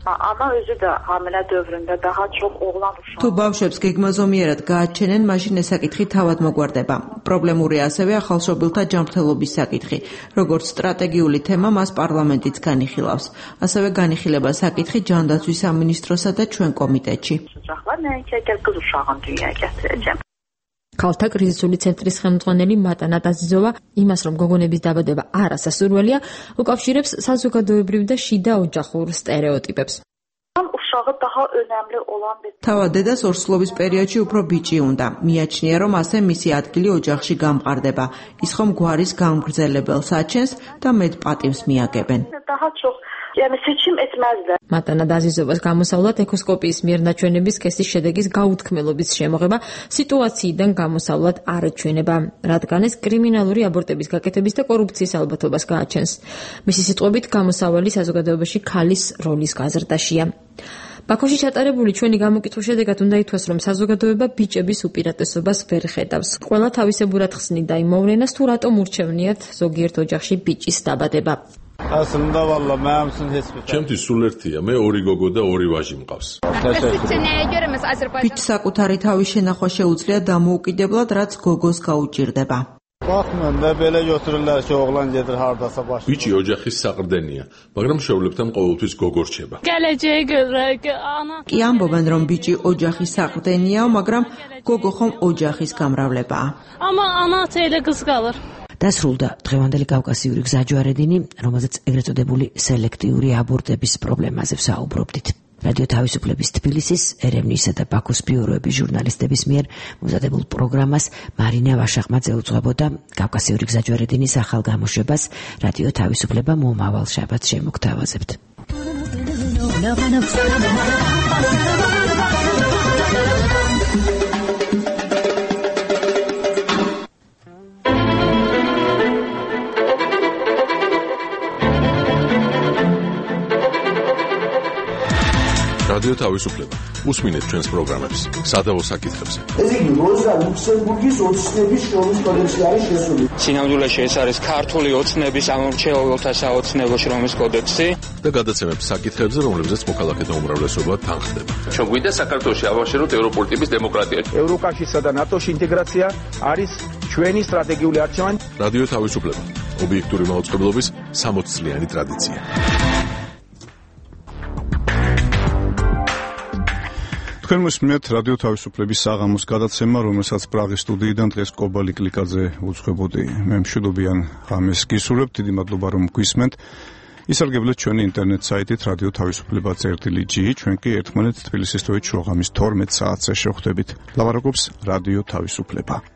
Ana özü də hamilə dövründə daha çox oğlan uşaq. თუ ბავშვებს გეგმაზომიერად გააჩენენ, მაშინ ეს საკითხი თავად მოგვარდება. პრობლემური ასევე ახალშობილთა ჯანმრთელობის საკითხი. როგორც სტრატეგიული თემა, მას პარლამენტიც განიხილავს. ასევე განიხილება საკითხი ჯანდაცვის სამინისტროსა და ჩვენ კომიტეტში. Uşaqlar nəinki əgər qız uşağını dünyaya gətirəcəm. ქალთა კრიზისული ცენტრის ხელმძღვანელი მატანა დაზიზოვა იმას, რომ გოგონების დაბადება არასასურველია, უკავშირებს საზოგადოებრივ და შიდა ოჯახურ სტერეოტიპებს. Uşağı daha önəmli olan bir თავად დედას ორსულობის პერიოდში უფრო ბიჭი უნდა. მიაჩნია, რომ ასე მისი ადგილი ოჯახში გამყარდება. ის ხომ გვარის გამგრძელებელს აჩენს და მეტ პატივს მიაგებენ. Daha çox yəni seçim etməzlər. მატანა დაზიზოვას გამოსავლად ეკოსკოპიის მიერ ნაჩვენების სქესის შედეგის გაუთქმელობის შემოღება სიტუაციიდან გამოსავლად არ ეჩვენება, რადგან ეს კრიმინალური აბორტების გაკეთების და კორუფციის ალბათობას გააჩენს. მისი სიტყვებით, გამოსავალი საზოგადოებაში ქალის როლის გაზრდაშია. ბაქოში ჩატარებული ჩვენი გამოკითხვის შედეგად უნდა ითქვას, რომ საზოგადოება ბიჭების უპირატესობას ვერ ხედავს. ყველა თავისებურად ხსნიდა იმ მოვლენას, თუ რატომ ურჩევნიათ ზოგიერთ ოჯახში ბიჭის დაბადება. Aslında valla mənim üçün heç bir. Ჩემთვის სულ ერთია, მე 2 გოგო და 2 ვაჟი მყავს. ბიჭს საკუთარი თავის შენახვა შეუძლია დამოუკიდებლად, რაც გოგოს გაუჭირდება. Baxmın da belə götürürlər ki, oğlan gedir hardasa baş. Biçi ოჯახის საყრდენია, მაგრამ შეულებთან ყოველთვის გოგო რჩება. Gələcəyə görə ana. კი ამბობენ, რომ ბიჭი ოჯახის საყრდენია, მაგრამ გოგო ხომ ოჯახის გამრავლებაა. Amma ana elə qız qalır. დასრულდა დღევანდელი კავკასიური გზაჯვარედინი, რომელზეც ეგრეთ წოდებული სელექტიური აბორტების პრობლემაზე ვსაუბრობდით. რადიო თავისუფლების თბილისის, ერევნისა და ბაქოს ბიუროების ჟურნალისტების მიერ მომზადებულ პროგრამას მარინა ვაშახმაძე უძღვებოდა. კავკასიური გზაჯვარედინის ახალ გამოშვებას რადიო თავისუფლება მომავალ შაბათს შემოგთავაზებთ. რადიო თავისუფლება. უსმინეთ ჩვენს პროგრამებს სადავო საკითხებზე. ეს იგი როზა ლუქსემბურგის ოცნების შრომის კოდექსში არის შესული. სინამდვილეში ეს არის ქართული ოცნების ამორჩეულთა საოცნებო შრომის კოდექსი და გადაცემებს საკითხებზე, რომლებზეც მოქალაქეთა უმრავლესობა თანხდება. ჩვენ გვინდა საქართველოში ავაშენოთ ევროპული ტიპის დემოკრატია. ევროკავშირსა და ნატოში ინტეგრაცია არის ჩვენი სტრატეგიული არჩევანი. რადიო თავისუფლება. ობიექტური მაუწყებლობის 60 წლიანი ტრადიცია. თქვენ მოსმენთ რადიო თავისუფლების საღამოს გადაცემა, რომელსაც პრაღის სტუდიიდან დღეს კობალი კლიკაძე უძღვებოდი. მე მშვიდობიან ღამეს გისურვებთ, დიდი მადლობა რომ გვისმენთ. ისარგებლეთ ჩვენი ინტერნეტ საიტით რადიო თავისუფლება.gi, ჩვენ კი ერთმანეთს თბილისის თვით შუაღამის 12 საათზე შევხვდებით. ლაპარაკობს რადიო თავისუფლება.